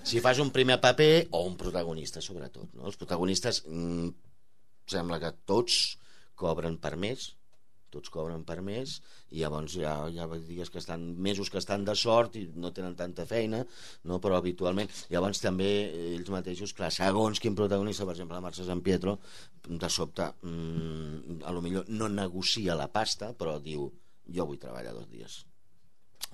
Si fas un primer paper o un protagonista, sobretot, no? Els protagonistes sembla que tots cobren per mes, i llavors hi ha dies que estan, mesos que estan de sort i no tenen tanta feina, no? Però habitualment, llavors també ells mateixos, clar, segons quin protagonista, per exemple la Mercè San Pietro, de sobte a lo millor no negocia la pasta, però diu, jo vull treballar 2 dies,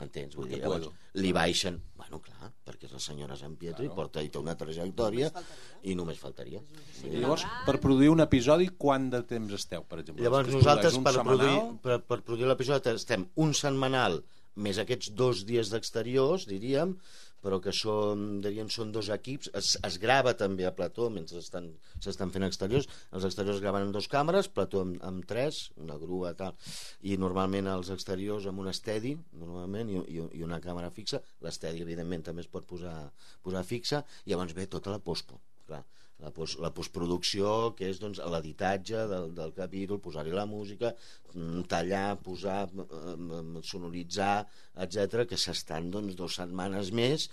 entens? Vull dir, llavors li baixen, bueno, clar, perquè és la senyora San Pietro, i té una trajectòria i només faltaria. Llavors, per produir un episodi, quant de temps esteu, per exemple? Llavors nosaltres per produir l'episodi estem un setmanal més aquests 2 dies d'exteriors, diríem, però que són 2 equips, es grava també a plató mentre s'estan fent exteriors, els exteriors es graven en 2 càmeres, plató amb 3, una grua tal, i normalment els exteriors amb un estedi normalment, i una càmera fixa. L'estedi evidentment també es pot posar fixa, i llavors ve tota la postpo, clar, la postproducció, que és doncs l'editatge del capítol, posar-hi la música, tallar, posar, sonoritzar, etc, que s'estan 2 setmanes més,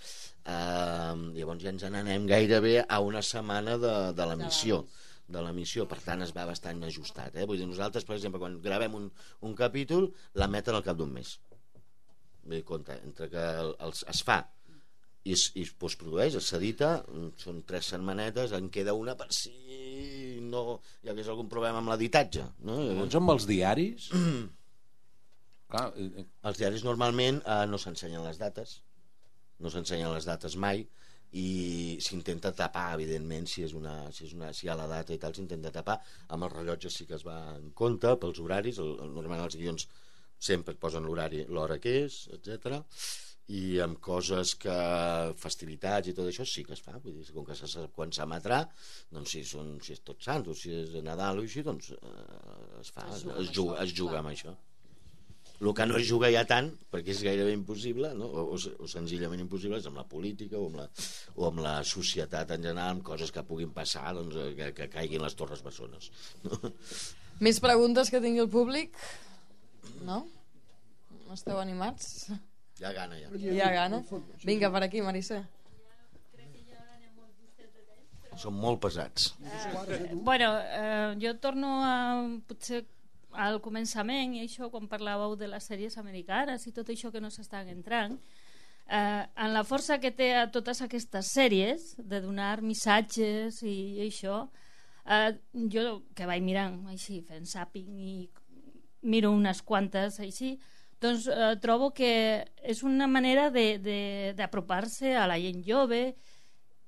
llavors ja ens n'anem gairebé a una setmana de l'emissió, per tant es va bastant ajustat, vull dir, nosaltres per exemple quan gravem un capítol l'emeten al cap d'un mes, vull dir, compte, entre que es fa i es postprodueix, s'edita, són 3 setmanetes, en queda una per si no hi hagués algun problema amb l'editatge, no? Llavors amb els diaris... Clar, Els diaris normalment no s'ensenyen les dates, no s'ensenyen les dates mai, i s'intenta tapar, evidentment, si hi ha la data i tal, s'intenta tapar. Amb els rellotges sí que es va en compte pels horaris, normalment els guions sempre et posen l'horari, l'hora que és, etc. I amb coses que festivitats i tot això sí que es fa, vull dir, com que se sap quan s'emetrà, doncs si és Tots Sants o si és Nadal o així, doncs es fa, es juga amb això. El que no es juga ja tant, perquè és gairebé impossible, no? o senzillament impossible, és amb la política o amb la societat en general, amb coses que puguin passar, doncs, que caiguin les torres bessones. No? Més preguntes que tingui el públic? No? Esteu animats? Hi ha gana, ja. Hi ha gana? Vinga, per aquí, Marissa. Són molt pesats. Bueno, jo torno a potser al començament, i això quan parlàveu de les sèries americanes i tot això que no s'estan entrant, en la força que té a totes aquestes sèries de donar missatges i això, jo que vaig mirant així, fent zapping i miro unes quantes així, doncs trobo que és una manera d'apropar-se a la gent jove,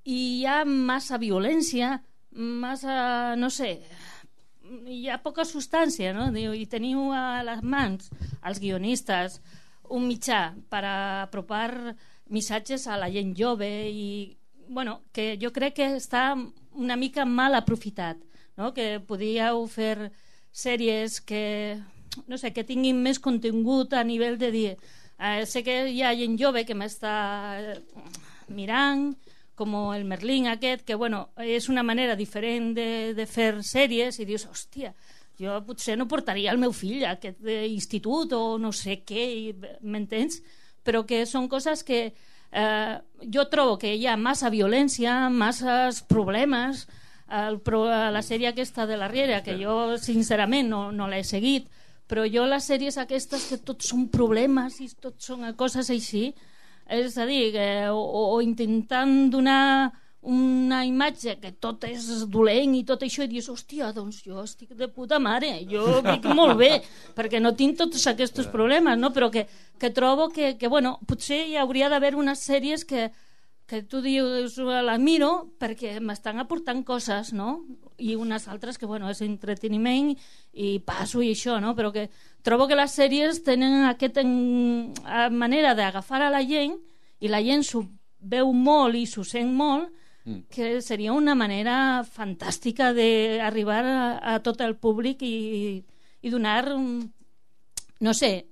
i hi ha massa violència, massa, no sé, hi ha poca substància, no? I teniu a les mans els guionistes un mitjà per apropar missatges a la gent jove, i bueno, que jo crec que està una mica mal aprofitat, no? Que podíeu fer sèries que, no sé, que tinguin més contingut a nivell de dir sé que hi ha gent jove que m'està mirant, com el Merlín aquest, que bueno, és una manera diferent de fer sèries, i dius, hòstia, jo potser no portaria el meu fill a aquest institut o no sé què, m'entens? Però que són coses que jo trobo que hi ha massa violència, masses problemes. La sèrie aquesta de la Riera, que jo sincerament no l'he seguit, però jo les sèries aquestes que tot són problemes i tot són coses així, és a dir, o intentant donar una imatge que tot és dolent i tot això, i dius, hòstia, doncs jo estic de puta mare, jo dic molt bé, perquè no tinc tots aquests problemes, no? Però que trobo que bueno, potser hi hauria d'haver unes sèries que tu dius, la miro perquè m'estan aportant coses, no? I unes altres que, bueno, és entreteniment i passo i això, no? Però que trobo que les sèries tenen aquesta manera d'agafar a la gent, i la gent s'ho veu molt i s'ho sent molt, que seria una manera fantàstica d'arribar a tot el públic i donar, no sé,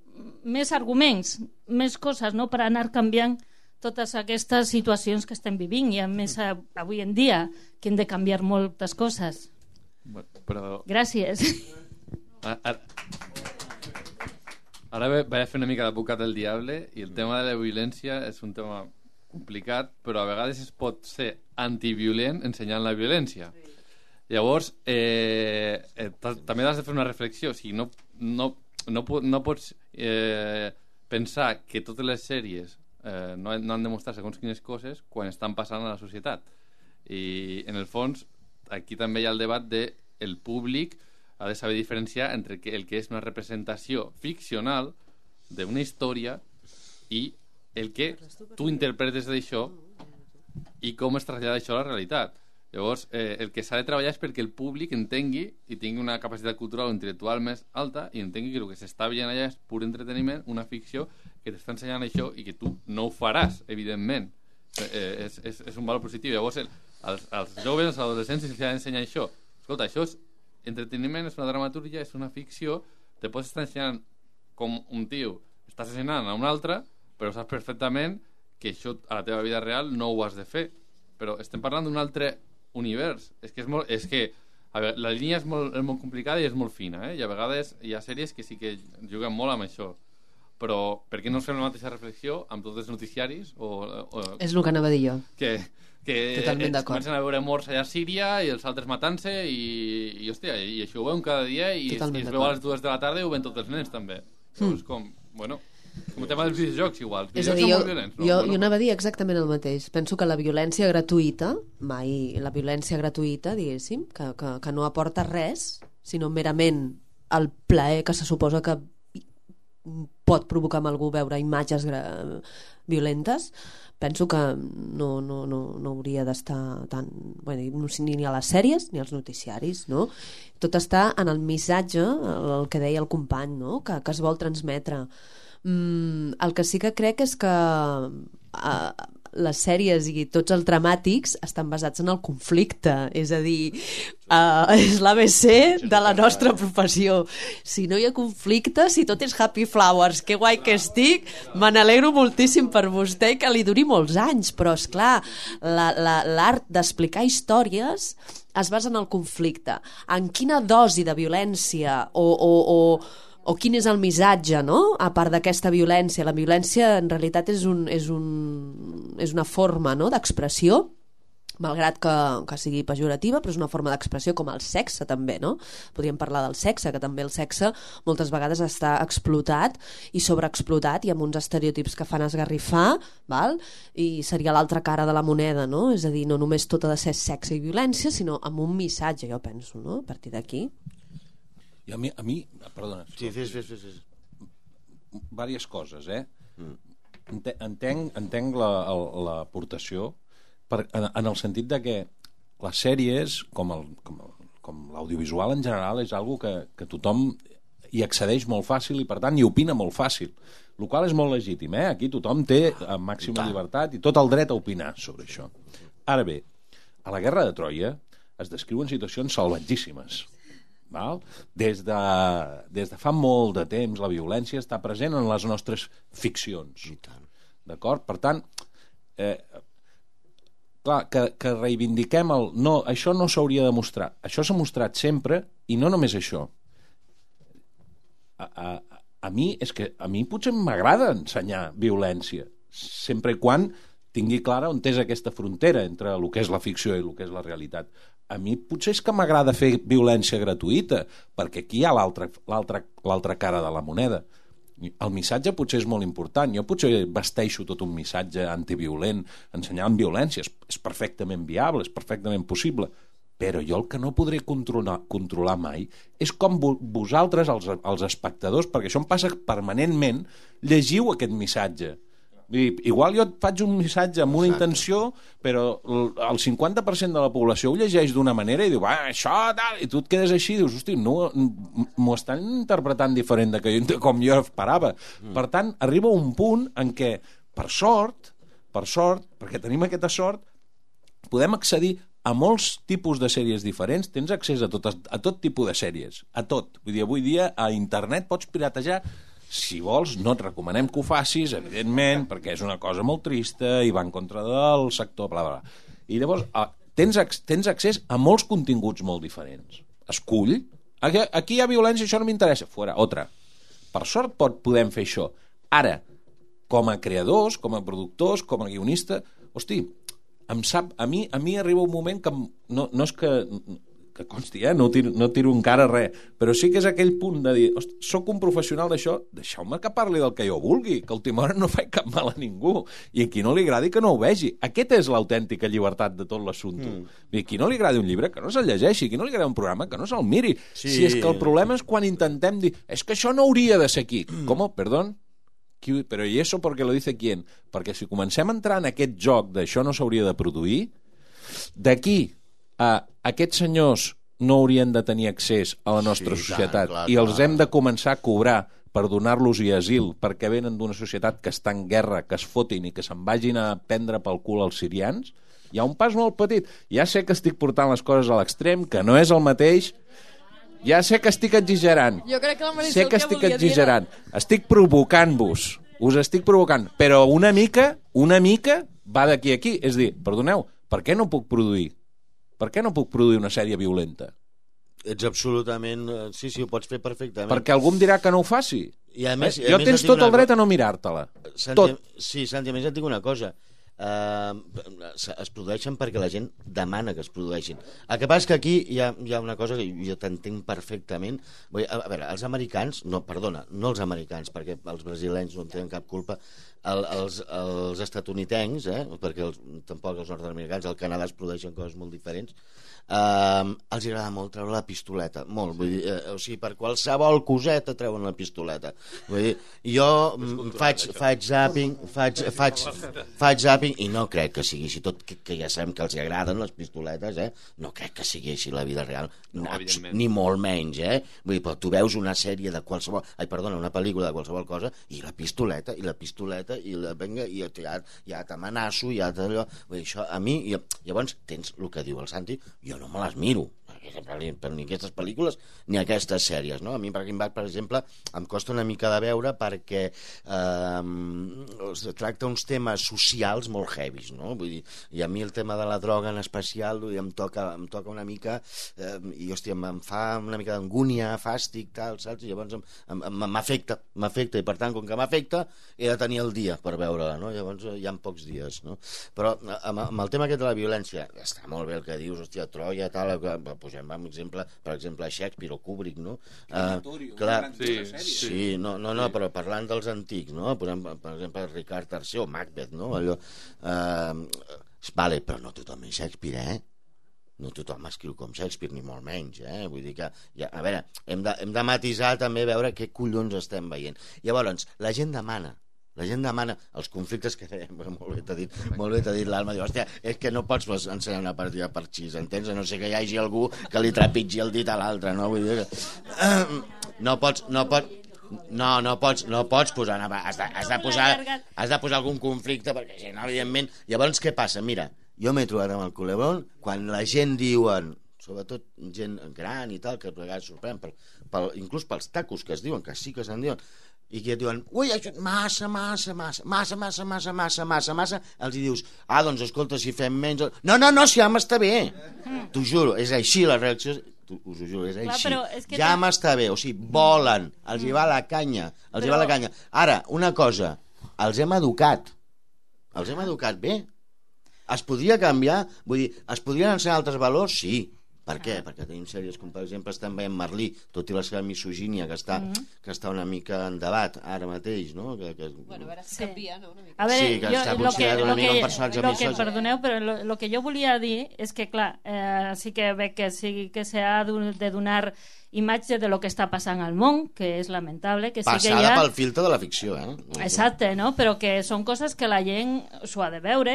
més arguments, més coses, no?, per anar canviant totes aquestes situacions que estem vivint, i a més avui en dia que hem de canviar moltes coses. Però... Gràcies. Ara vaig a fer una mica d'advocat del diable, i el tema de la violència és un tema complicat, però a vegades es pot ser antiviolent ensenyant la violència. Llavors, també has de fer una reflexió. O sigui, no pots pensar que totes les sèries no han de mostrar segons quines coses quan estan passant a la societat. I, en el fons, aquí també hi ha el debat de el públic ha de saber diferenciar entre el que és una representació ficcional d'una història i el que tu interpretes d'això i com es trasllada això a la realitat. Llavors, el que s'ha de treballar és perquè el públic entengui i tingui una capacitat cultural o intel·lectual més alta, i entengui que el que s'està veient allà és pur entreteniment, una ficció que t'està ensenyant això i que tu no ho faràs, evidentment. És un valor positiu. Llavors, als joves, als adolescents, els ha d'ensenyar això. Escolta, això és entreteniment, és una dramatúrgia, és una ficció, te pots estar ensenyant com un tio està assassinant a un altre, però saps perfectament que això a la teva vida real no ho has de fer. Però estem parlant d'un altre univers. És que a veure, la línia és molt complicada i és molt fina, i a vegades hi ha sèries que sí que juguen molt amb això. Però per què no fem la mateixa reflexió amb tots els noticiaris? És el que anava a dir jo. Que totalment d'acord. Comencen a veure morts allà a Síria i els altres matant-se i hòstia, i això ho veuen cada dia, i es veu a les 2 de la tarda i ho ven tots els nens també. Llavors, com, bueno... Com el tema dels videojocs, igual. Els És a dir, videojocs són molt violents, no? jo anava a dir exactament el mateix. Penso que la violència gratuïta, diguéssim, que no aporta res, sinó merament el plaer que se suposa que pot provocar amb algú veure imatges violentes, penso que no hauria d'estar tan... Bueno, ni a les sèries ni als noticiaris, no? Tot està en el missatge, el que deia el company, no? que es vol transmetre. El que sí que crec és que les sèries i tots els dramàtics estan basats en el conflicte, és a dir, és l'ABC de la nostra professió. Si no hi ha conflicte, si tot és happy flowers, que guai que estic, me n'alegro moltíssim per vostè i que li duri molts anys, però és clar, l'art d'explicar històries es basa en el conflicte. En quina dosi de violència o quin és el missatge, no? A part d'aquesta violència. La violència en realitat és una forma, no?, d'expressió, malgrat que sigui pejorativa, però és una forma d'expressió com el sexe també, no? Podríem parlar del sexe, que també el sexe moltes vegades està explotat i sobreexplotat i amb uns estereotips que fan esgarrifar, val? I seria l'altra cara de la moneda, no? És a dir, no només tot ha de ser sexe i violència, sinó amb un missatge, jo penso, no? A partir d'aquí. I a mi perdona. Sí, fes. Diverses coses, Entenc l'aportació en el sentit de que les sèries, com l'audiovisual en general, és algo que tothom hi accedeix molt fàcil i per tant hi opina molt fàcil, el qual és molt legítim, Aquí tothom té màxima llibertat i tot el dret a opinar sobre això. Ara bé, a la Guerra de Troia es descriuen situacions salvatgíssimes. Val? Des de fa molt de temps la violència està present en les nostres ficcions. D'acord? Per tant, clar, que reivindiquem no, això no s'hauria de mostrar. Això s'ha mostrat sempre i no només això. A mi potser m'agrada ensenyar violència, sempre i quan tingui clara on és aquesta frontera entre el que és la ficció i el que és la realitat. A mi potser és que m'agrada fer violència gratuïta, perquè aquí hi ha l'altra cara de la moneda. El missatge potser és molt important. Jo potser vesteixo tot un missatge antiviolent ensenyant violència. És perfectament viable, és perfectament possible. Però jo el que no podré controlar mai és com vosaltres, els espectadors, perquè això em passa permanentment, llegiu aquest missatge. Igual jo et faig un missatge amb una intenció, però el 50% de la població ho llegeix d'una manera i diu, això, tal, i tu et quedes així i dius, hosti, no, m'ho estan interpretant diferent de com jo esperava. Per tant, arriba un punt en què, per sort, perquè tenim aquesta sort, podem accedir a molts tipus de sèries diferents, tens accés a tot tipus de sèries, a tot. Vull dir, avui dia a internet pots piratejar. Si vols, no et recomanem que ho facis, evidentment, perquè és una cosa molt trista i va en contra del sector, bla, bla. I llavors tens accés a molts continguts molt diferents. Escull. Aquí hi ha violència, això no m'interessa. Fora, otra. Per sort podem fer això. Ara, com a creadors, com a productors, com a guionista, hosti, a mi arriba un moment que no és que consti, no tiro encara res, però sí que és aquell punt de dir, soc un professional d'això, deixeu-me que parli del que jo vulgui, que a última hora no faig cap mal a ningú, i a qui no li agradi que no ho vegi. Aquesta és l'autèntica llibertat de tot l'assumpte. A qui no li agradi un llibre, que no se'l llegeixi, a qui no li agradi un programa, que no se'l miri. Sí. Si és que el problema és quan intentem dir, és que això no hauria de ser aquí. Com? Perdón? Però i això perquè lo dice quién? Perquè si comencem a entrar en aquest joc d'això no s'hauria de produir, d'aquí aquests senyors no haurien de tenir accés a la nostra societat, i els hem de començar a cobrar per donar-los asil perquè venen d'una societat que està en guerra, que es fotin i que se'n vagin a prendre pel cul els sirians, hi ha un pas molt petit. Ja sé que estic portant les coses a l'extrem, que no és el mateix, ja sé que estic exagerant, jo crec que la Marisol sé que estic exagerant, estic provocant-vos, us estic provocant, però una mica va d'aquí a aquí. És a dir, perdoneu, per què no puc produir? Per què no puc produir una sèrie violenta? Ets absolutament... Sí, ho pots fer perfectament. Perquè algú em dirà que no ho faci. I a més, jo tens tot el dret a no mirar-te-la. Tot. Sí, Santi, a més et dic una cosa. es produeixen perquè la gent demana que es produeixin. El que passa és que aquí hi ha una cosa que jo t'entenc perfectament. Vull dir, a veure, els americans, no els americans, perquè els brasilenys no en tenen cap culpa, els estatunidencs, perquè tampoc els nord-americans, al Canadà es produeixen coses molt diferents, els agrada molt treure la pistoleta, molt, vull dir, o sigui, per qualsevol coseta treuen la pistoleta. Vull dir, jo faig zapping i no crec que sigui així, tot que ja sabem que els agraden les pistoletes, no crec que sigui així la vida real, ni molt menys, vull dir, però tu veus una sèrie de qualsevol, una pel·lícula de qualsevol cosa, i la pistoleta, i venga, i ja t'amenaço, ja t'allò, vull dir, això a mi, llavors tens el que diu el Santi, jo no me les miro, ni aquestes pel·lícules ni aquestes sèries, no? A mi Breaking Bad, per exemple, em costa una mica de veure perquè tracta uns temes socials molt heavies, no? Vull dir, i a mi el tema de la droga en especial em toca una mica i hòstia, em fa una mica d'angúnia, fàstic, tal, saps? I llavors m'afecta, i per tant, com que m'afecta, he de tenir el dia per veure-la, no? Llavors hi ha pocs dies, no? Però amb el tema aquest de la violència, està molt bé el que dius, hòstia, Troia, tal, posem per exemple Shakespeare o Kubrick, no? Clar, sí, no, però parlant dels antics, no? Posem, per exemple, Ricard III o Macbeth, no? Allò, vale, però no tothom és Shakespeare, no tothom escriu com Shakespeare, ni molt menys, vull dir que, a veure, hem de matisar també, veure què collons estem veient. Llavors, la gent demana els conflictes que molt bé t'ha dit l'Alma, diu, hòstia, és que no pots ensenyar una partida per xis, entens? A no ser que hi hagi algú que li trepitgi el dit a l'altre, no? Vull dir que no pots posar, has de posar algun conflicte, perquè si no, evidentment, llavors què passa? Mira, jo m'he trobat amb el culebrón quan la gent diuen, sobretot gent gran i tal, que a vegades sorprèn, inclús pels tacos que es diuen, que sí que se'n diuen, i que et diuen, ui, això massa, els hi dius, doncs escolta, si fem menys... No, si ja m'està bé, t'ho juro, és així la reacció, us ho juro, és així, ja m'està bé, o sigui, volen, els hi va la canya, Ara, una cosa, els hem educat bé, es podria canviar, vull dir, es podrien ensenyar altres valors? Sí. Per què? Perquè tenim sèries com, per exemple, estem veient Merlí, tot i la seva misogínia, que està una mica en debat ara mateix, no? Bueno, a veure si canvia, no? A veure, sí, que està considerat una mica un personatge misogí. Perdoneu, però el que jo volia dir és que, clar, sí que veig que s'ha de donar imatge de lo que està passant al món, que és lamentable, que sí que hi ha... Passada pel filtre de la ficció, Exacte, no? Però que són coses que la gent s'ho ha de veure,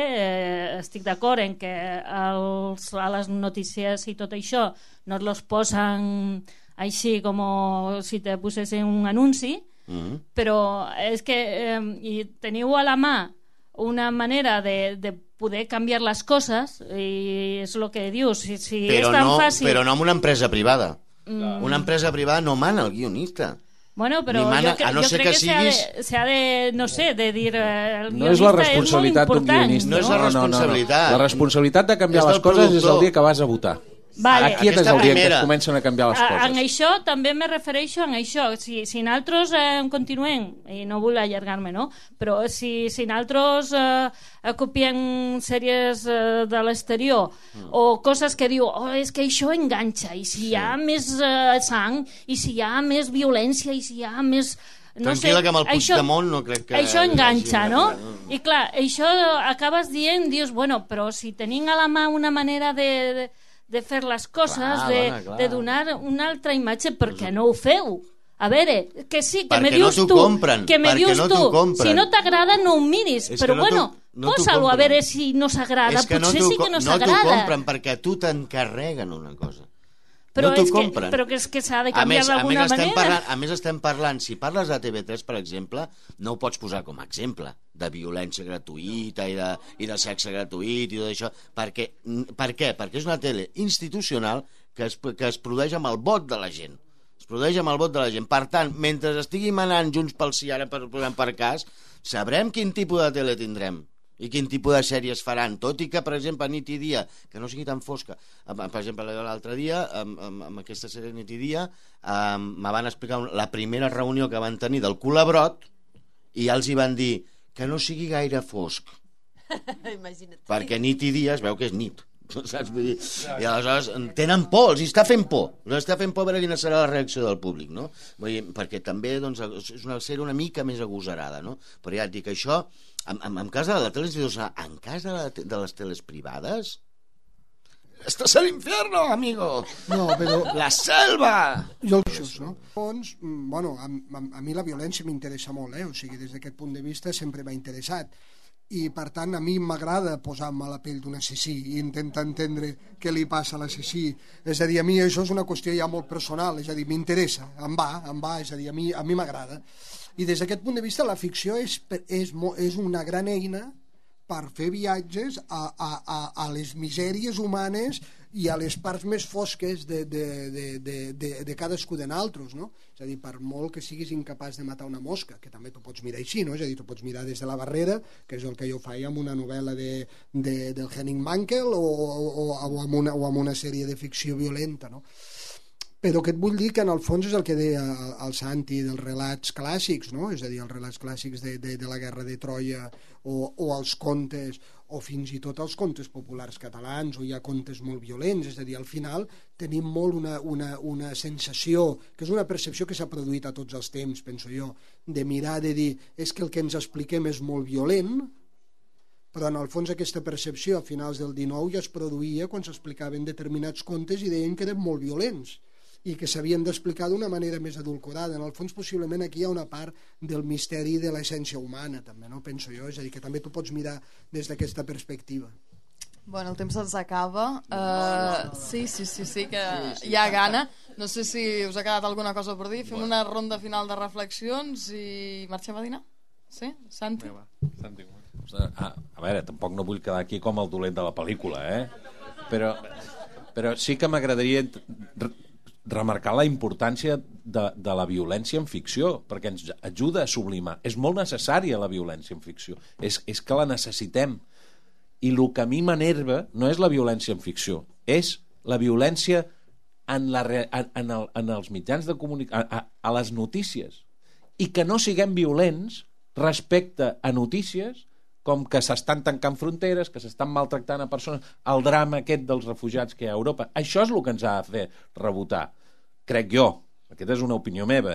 estic d'acord en que a les notícies i tot això no los posen així com si te posessin un anunci, però és que teniu a la mà una manera de poder canviar les coses i és el que dius, si és tan fàcil... Però no amb una empresa privada. Una empresa privada no mana el guionista. Bueno, però jo crec que s'ha de, no sé, de dir el no és la responsabilitat d'un guionista. No és la responsabilitat. La responsabilitat de canviar les coses és el dia que vas a votar. Vale. Aquí és el dia que es comencen a canviar les coses. En això també me refereixo a això. Si nosaltres continuem, i no vull allargar-me, no? Però si nosaltres copiem sèries de l'exterior o coses que diu, és que això enganxa, i si hi ha més sang, i si hi ha més violència, i si hi ha més... Tranquil·la, que amb el Puigdemont no crec que... Això enganxa, no? I clar, això acabes dient, dius, bueno, però si tenim a la mà una manera de fer les coses, de donar una altra imatge, per què no ho feu? A veure, que sí, que me dius tu, si no t'agrada no ho miris, però bueno, posa-lo a veure si no s'agrada, potser sí que no s'agrada. No t'ho compren perquè a tu t'encarreguen una cosa. Però és que s'ha de canviar d'alguna manera. A més estem parlant, si parles de TV3, per exemple, no ho pots posar com a exemple de violència gratuïta i de sexe gratuït i tot això. Per què? Perquè és una tele institucional que es produeix amb el vot de la gent. Es produeix amb el vot de la gent. Per tant, mentre estigui manant Junts pel Sí, ara per cas, sabrem quin tipus de tele tindrem i quin tipus de sèries faran, tot i que, per exemple, nit i dia, que no sigui tan fosca. Per exemple, l'altre dia, amb aquesta sèrie nit i dia, me van explicar la primera reunió que van tenir del Culebrot i ja els hi van dir que no sigui gaire fosc, Imagina't. Perquè nit i dia es veu que és nit. Saps? Vull dir, i aleshores tenen por, els està fent por. Els està fent por a veure quina serà la reacció del públic, no? Vull dir, perquè també doncs, és una sèrie una mica més agosarada, no? Però ja et dic, això, en cas de la tele institucional, en cas de les teles privades, estàs a l'infierno, amigo. No, però... La selva! Jo no? Doncs, bueno, a mi la violència m'interessa molt, o sigui, des d'aquest punt de vista sempre m'ha interessat. I, per tant, a mi m'agrada posar-me a la pell d'un assassí i intentar entendre què li passa a l'assassí. És a dir, a mi això és una qüestió ja molt personal, és a dir, m'interessa, em va, és a dir, a mi m'agrada. I des d'aquest punt de vista la ficció és una gran eina per fer viatges a les misèries humanes i a les parts més fosques de cadascú de nosaltres, no? És a dir, per molt que siguis incapaç de matar una mosca, que també t'ho pots mirar així, no? És a dir, t'ho pots mirar des de la barrera, que és el que jo faig amb una novel·la del Henning Mankell o amb una sèrie de ficció violenta, no? Però que et vull dir que en el fons és el que deia el Santi dels relats clàssics, no? És a dir, els relats clàssics de la guerra de Troia o els contes, o fins i tot els contes populars catalans, o hi ha contes molt violents, és a dir, al final tenim molt una sensació, que és una percepció que s'ha produït a tots els temps, penso jo, de mirar, de dir, és que el que ens expliquem és molt violent, però en el fons aquesta percepció a finals del XIX ja es produïa quan s'explicaven determinats contes i deien que eren molt violents i que s'havien d'explicar d'una manera més adulcorada. En el fons, possiblement, aquí hi ha una part del misteri de l'essència humana, també, no? Penso jo, és a dir, que també tu pots mirar des d'aquesta perspectiva. Bueno, el temps se'ns acaba. Sí, que hi ha gana. No sé si us ha quedat alguna cosa per dir. Fem una ronda final de reflexions i marxem a dinar? Sí? Santi? Santi. A veure, tampoc no vull quedar aquí com el dolent de la pel·lícula, però sí que m'agradaria remarcar la importància de la violència en ficció, perquè ens ajuda a sublimar. És molt necessària la violència en ficció. És que la necessitem. I el que a mi m'enerva no és la violència en ficció, és la violència en els mitjans de comunicació, a les notícies. I que no siguem violents respecte a notícies com que s'estan tancant fronteres, que s'estan maltractant a persones, el drama aquest dels refugiats que hi ha a Europa. Això és el que ens ha de fer rebotar, crec jo. Aquesta és una opinió meva,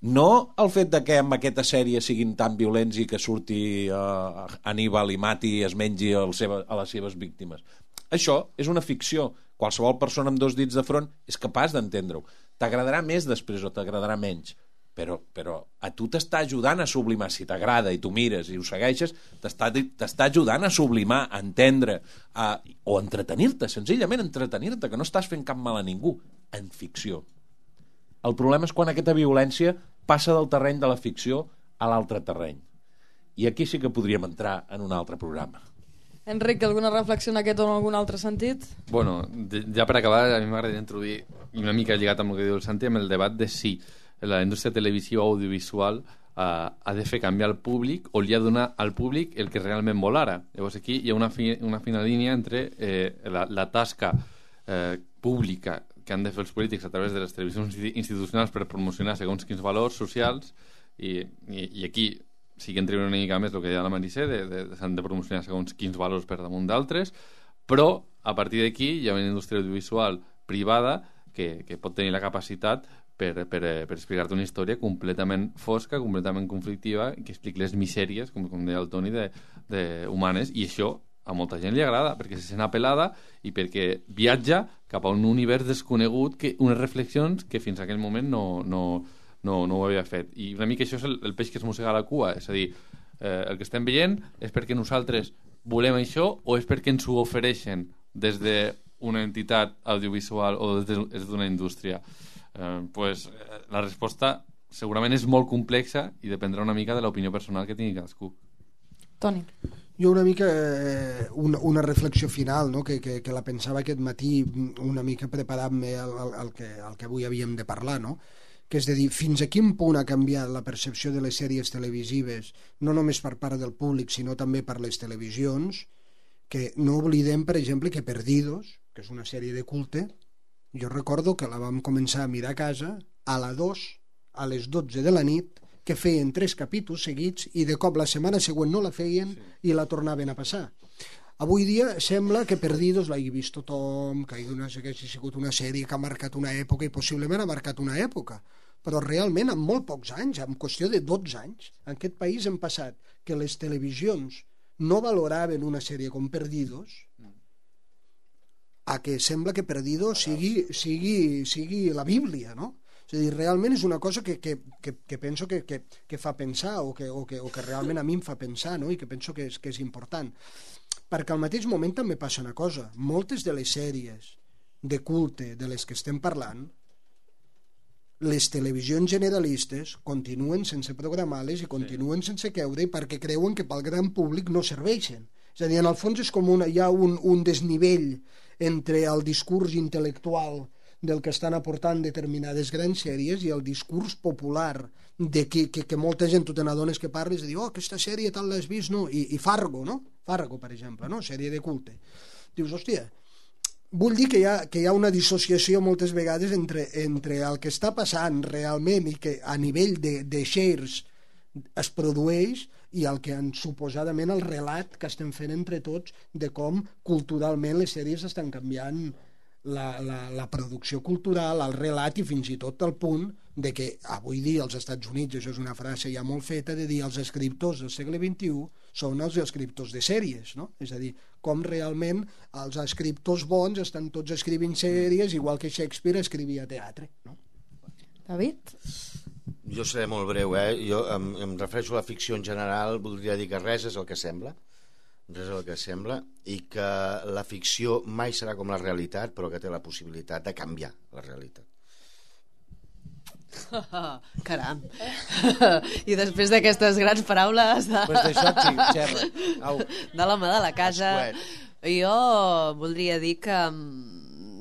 No el fet de que amb aquesta sèrie siguin tan violents i que surti Aníbal i mati i es mengi a les seves víctimes. Això és una ficció. Qualsevol persona amb dos dits de front és capaç d'entendre-ho. T'agradarà més després o t'agradarà menys. Però a tu t'està ajudant a sublimar, si t'agrada i tu mires i ho segueixes, t'està ajudant a sublimar, a entendre, o entretenir-te, senzillament entretenir-te, que no estàs fent cap mal a ningú, en ficció. El problema és quan aquesta violència passa del terreny de la ficció a l'altre terreny. I aquí sí que podríem entrar en un altre programa. Enric, alguna reflexió en aquest o en algun altre sentit? Bueno, ja per acabar, a mi m'agradaria introduir, una mica lligat amb el que diu el Santi, amb el debat de si la indústria televisiva o audiovisual ha de fer canviar el públic o li ha de donar al públic el que realment vol ara. Llavors aquí hi ha una fina línia entre la tasca pública que han de fer els polítics a través de les televisions institucionals per promocionar segons quins valors socials i aquí sí que entrem una mica més el que deia la Maricé, s'han de promocionar segons quins valors per damunt d'altres, però a partir d'aquí hi ha una indústria audiovisual privada que pot tenir la capacitat per explicar-te una història completament fosca, completament conflictiva, que expliqui les misèries, com deia el Toni, humanes, i això a molta gent li agrada, perquè se sent apel·lada i perquè viatja cap a un univers desconegut, unes reflexions que fins a aquell moment no ho havia fet. I una mica això és el peix que es mossega la cua, és a dir, el que estem veient és perquè nosaltres volem això o és perquè ens ho ofereixen des d'una entitat audiovisual o des d'una indústria. La resposta segurament és molt complexa i dependrà una mica de l'opinió personal que tingui cadascú. Toni. Jo una mica una reflexió final, no? que la pensava aquest matí una mica preparant-me al que avui havíem de parlar, no? Que és de dir, fins a quin punt ha canviat la percepció de les sèries televisives, no només per part del públic, sinó també per les televisions, que no oblidem, per exemple, que Perdidos, que és una sèrie de culte, jo recordo que la vam començar a mirar a casa a la 2, a les 12 de la nit, que feien 3 capítols seguits i de cop la setmana següent no la feien i la tornaven a passar. Avui dia sembla que Perdidos l'hagi vist tothom, que hagi sigut una sèrie que ha marcat una època i possiblement ha marcat una època, però realment en molt pocs anys, en qüestió de 12 anys, en aquest país hem passat que les televisions no valoraven una sèrie com Perdidos a que sembla que Perdidos sigui la Bíblia, no? És a dir, realment és una cosa que penso que fa pensar o que realment a mi em fa pensar, no? I que penso que és important. Perquè al mateix moment també passa una cosa. Moltes de les sèries de culte de les que estem parlant, les televisions generalistes continuen sense programar-les i continuen sense creure perquè creuen que pel gran públic no serveixen. És a dir, en el fons és com hi ha un desnivell entre el discurs intel·lectual del que estan aportant determinades grans sèries i el discurs popular de que molta gent, tu te n'adones que parles i dius, aquesta sèrie tal l'has vist, no? I Fargo, no? Fargo, per exemple, no? Sèrie de culte. Dius, hòstia, vull dir que hi ha una dissociació moltes vegades entre el que està passant realment i que a nivell de shares es produeix i el que suposadament el relat que estem fent entre tots de com culturalment les sèries estan canviant la producció cultural, el relat i fins i tot el punt de que avui dia als Estats Units, això és una frase ja molt feta, de dir els escriptors del segle XXI són els escriptors de sèries, no? És a dir, com realment els escriptors bons estan tots escrivint sèries igual que Shakespeare escrivia teatre, no? David? Jo seré molt breu, jo em refereixo a la ficció en general, voldria dir que res és el que sembla, i que la ficció mai serà com la realitat, però que té la possibilitat de canviar la realitat. Caram. I després d'aquestes grans paraules de l'home de la casa, jo voldria dir que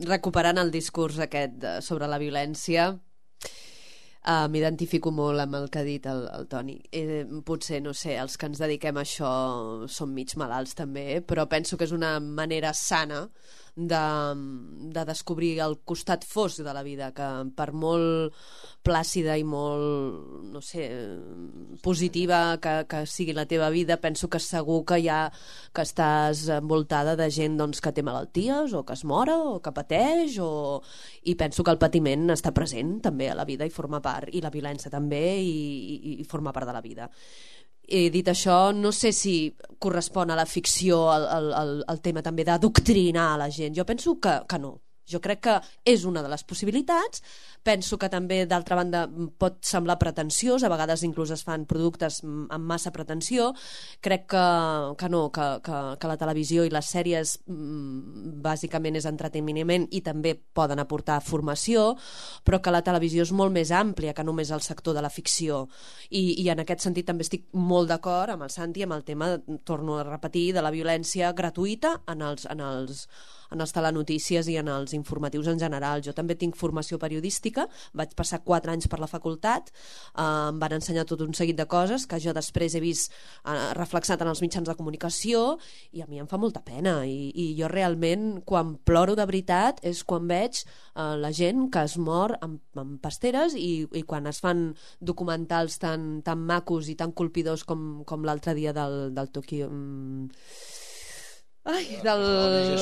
recuperant el discurs aquest sobre la violència, m'identifico molt amb el que ha dit el Toni. Potser, no sé, els que ens dediquem a això som mig malalts també, però penso que és una manera sana de descobrir el costat fosc de la vida, que per molt plàcida i molt, no sé, positiva que sigui la teva vida, penso que segur que que estàs envoltada de gent doncs, que té malalties o que es mora o que pateix i penso que el patiment està present també a la vida i forma part, i la violència també i forma part de la vida. Dit això, no sé si correspon a la ficció el tema també d'adoctrinar a la gent. Jo penso que no. Jo crec que és una de les possibilitats. Penso que també, d'altra banda, pot semblar pretensiós. A vegades inclús es fan productes amb massa pretensió. Crec que no, que la televisió i les sèries bàsicament és entreteniment i també poden aportar formació, però que la televisió és molt més àmplia que només el sector de la ficció. I en aquest sentit també estic molt d'acord amb el Santi, amb el tema, torno a repetir, de la violència gratuïta en els telenotícies i en els informatius en general. Jo també tinc formació periodística, vaig passar 4 anys per la facultat, em van ensenyar tot un seguit de coses que jo després he vist reflexat en els mitjans de comunicació i a mi em fa molta pena i jo realment quan ploro de veritat és quan veig la gent que es mor amb pasteres i quan es fan documentals tan macos i tan colpidors com l'altre dia del Tokyo... dels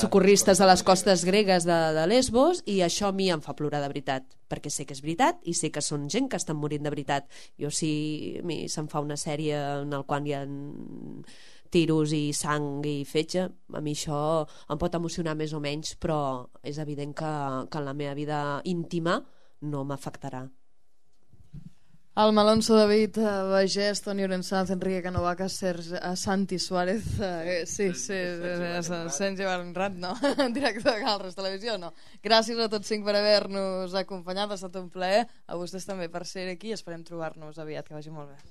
socorristes a les costes gregues de Lesbos, i això a mi em fa plorar de veritat, perquè sé que és veritat i sé que són gent que estan morint de veritat. Jo si a mi se'm fa una sèrie en la qual hi ha tiros i sang i fetge, a mi això em pot emocionar més o menys, però és evident que en la meva vida íntima no m'afectarà. Alma Alonso, David Bagés, Toni Orensanz, Enrique Canovacas, Santi Suárez, Sergi Bernat, no? Director de Calres Televisió, no? Gràcies a tots 5 per haver-nos acompanyat, ha estat un plaer. A vostès també per ser aquí, esperem trobar-nos aviat, que vagi molt bé.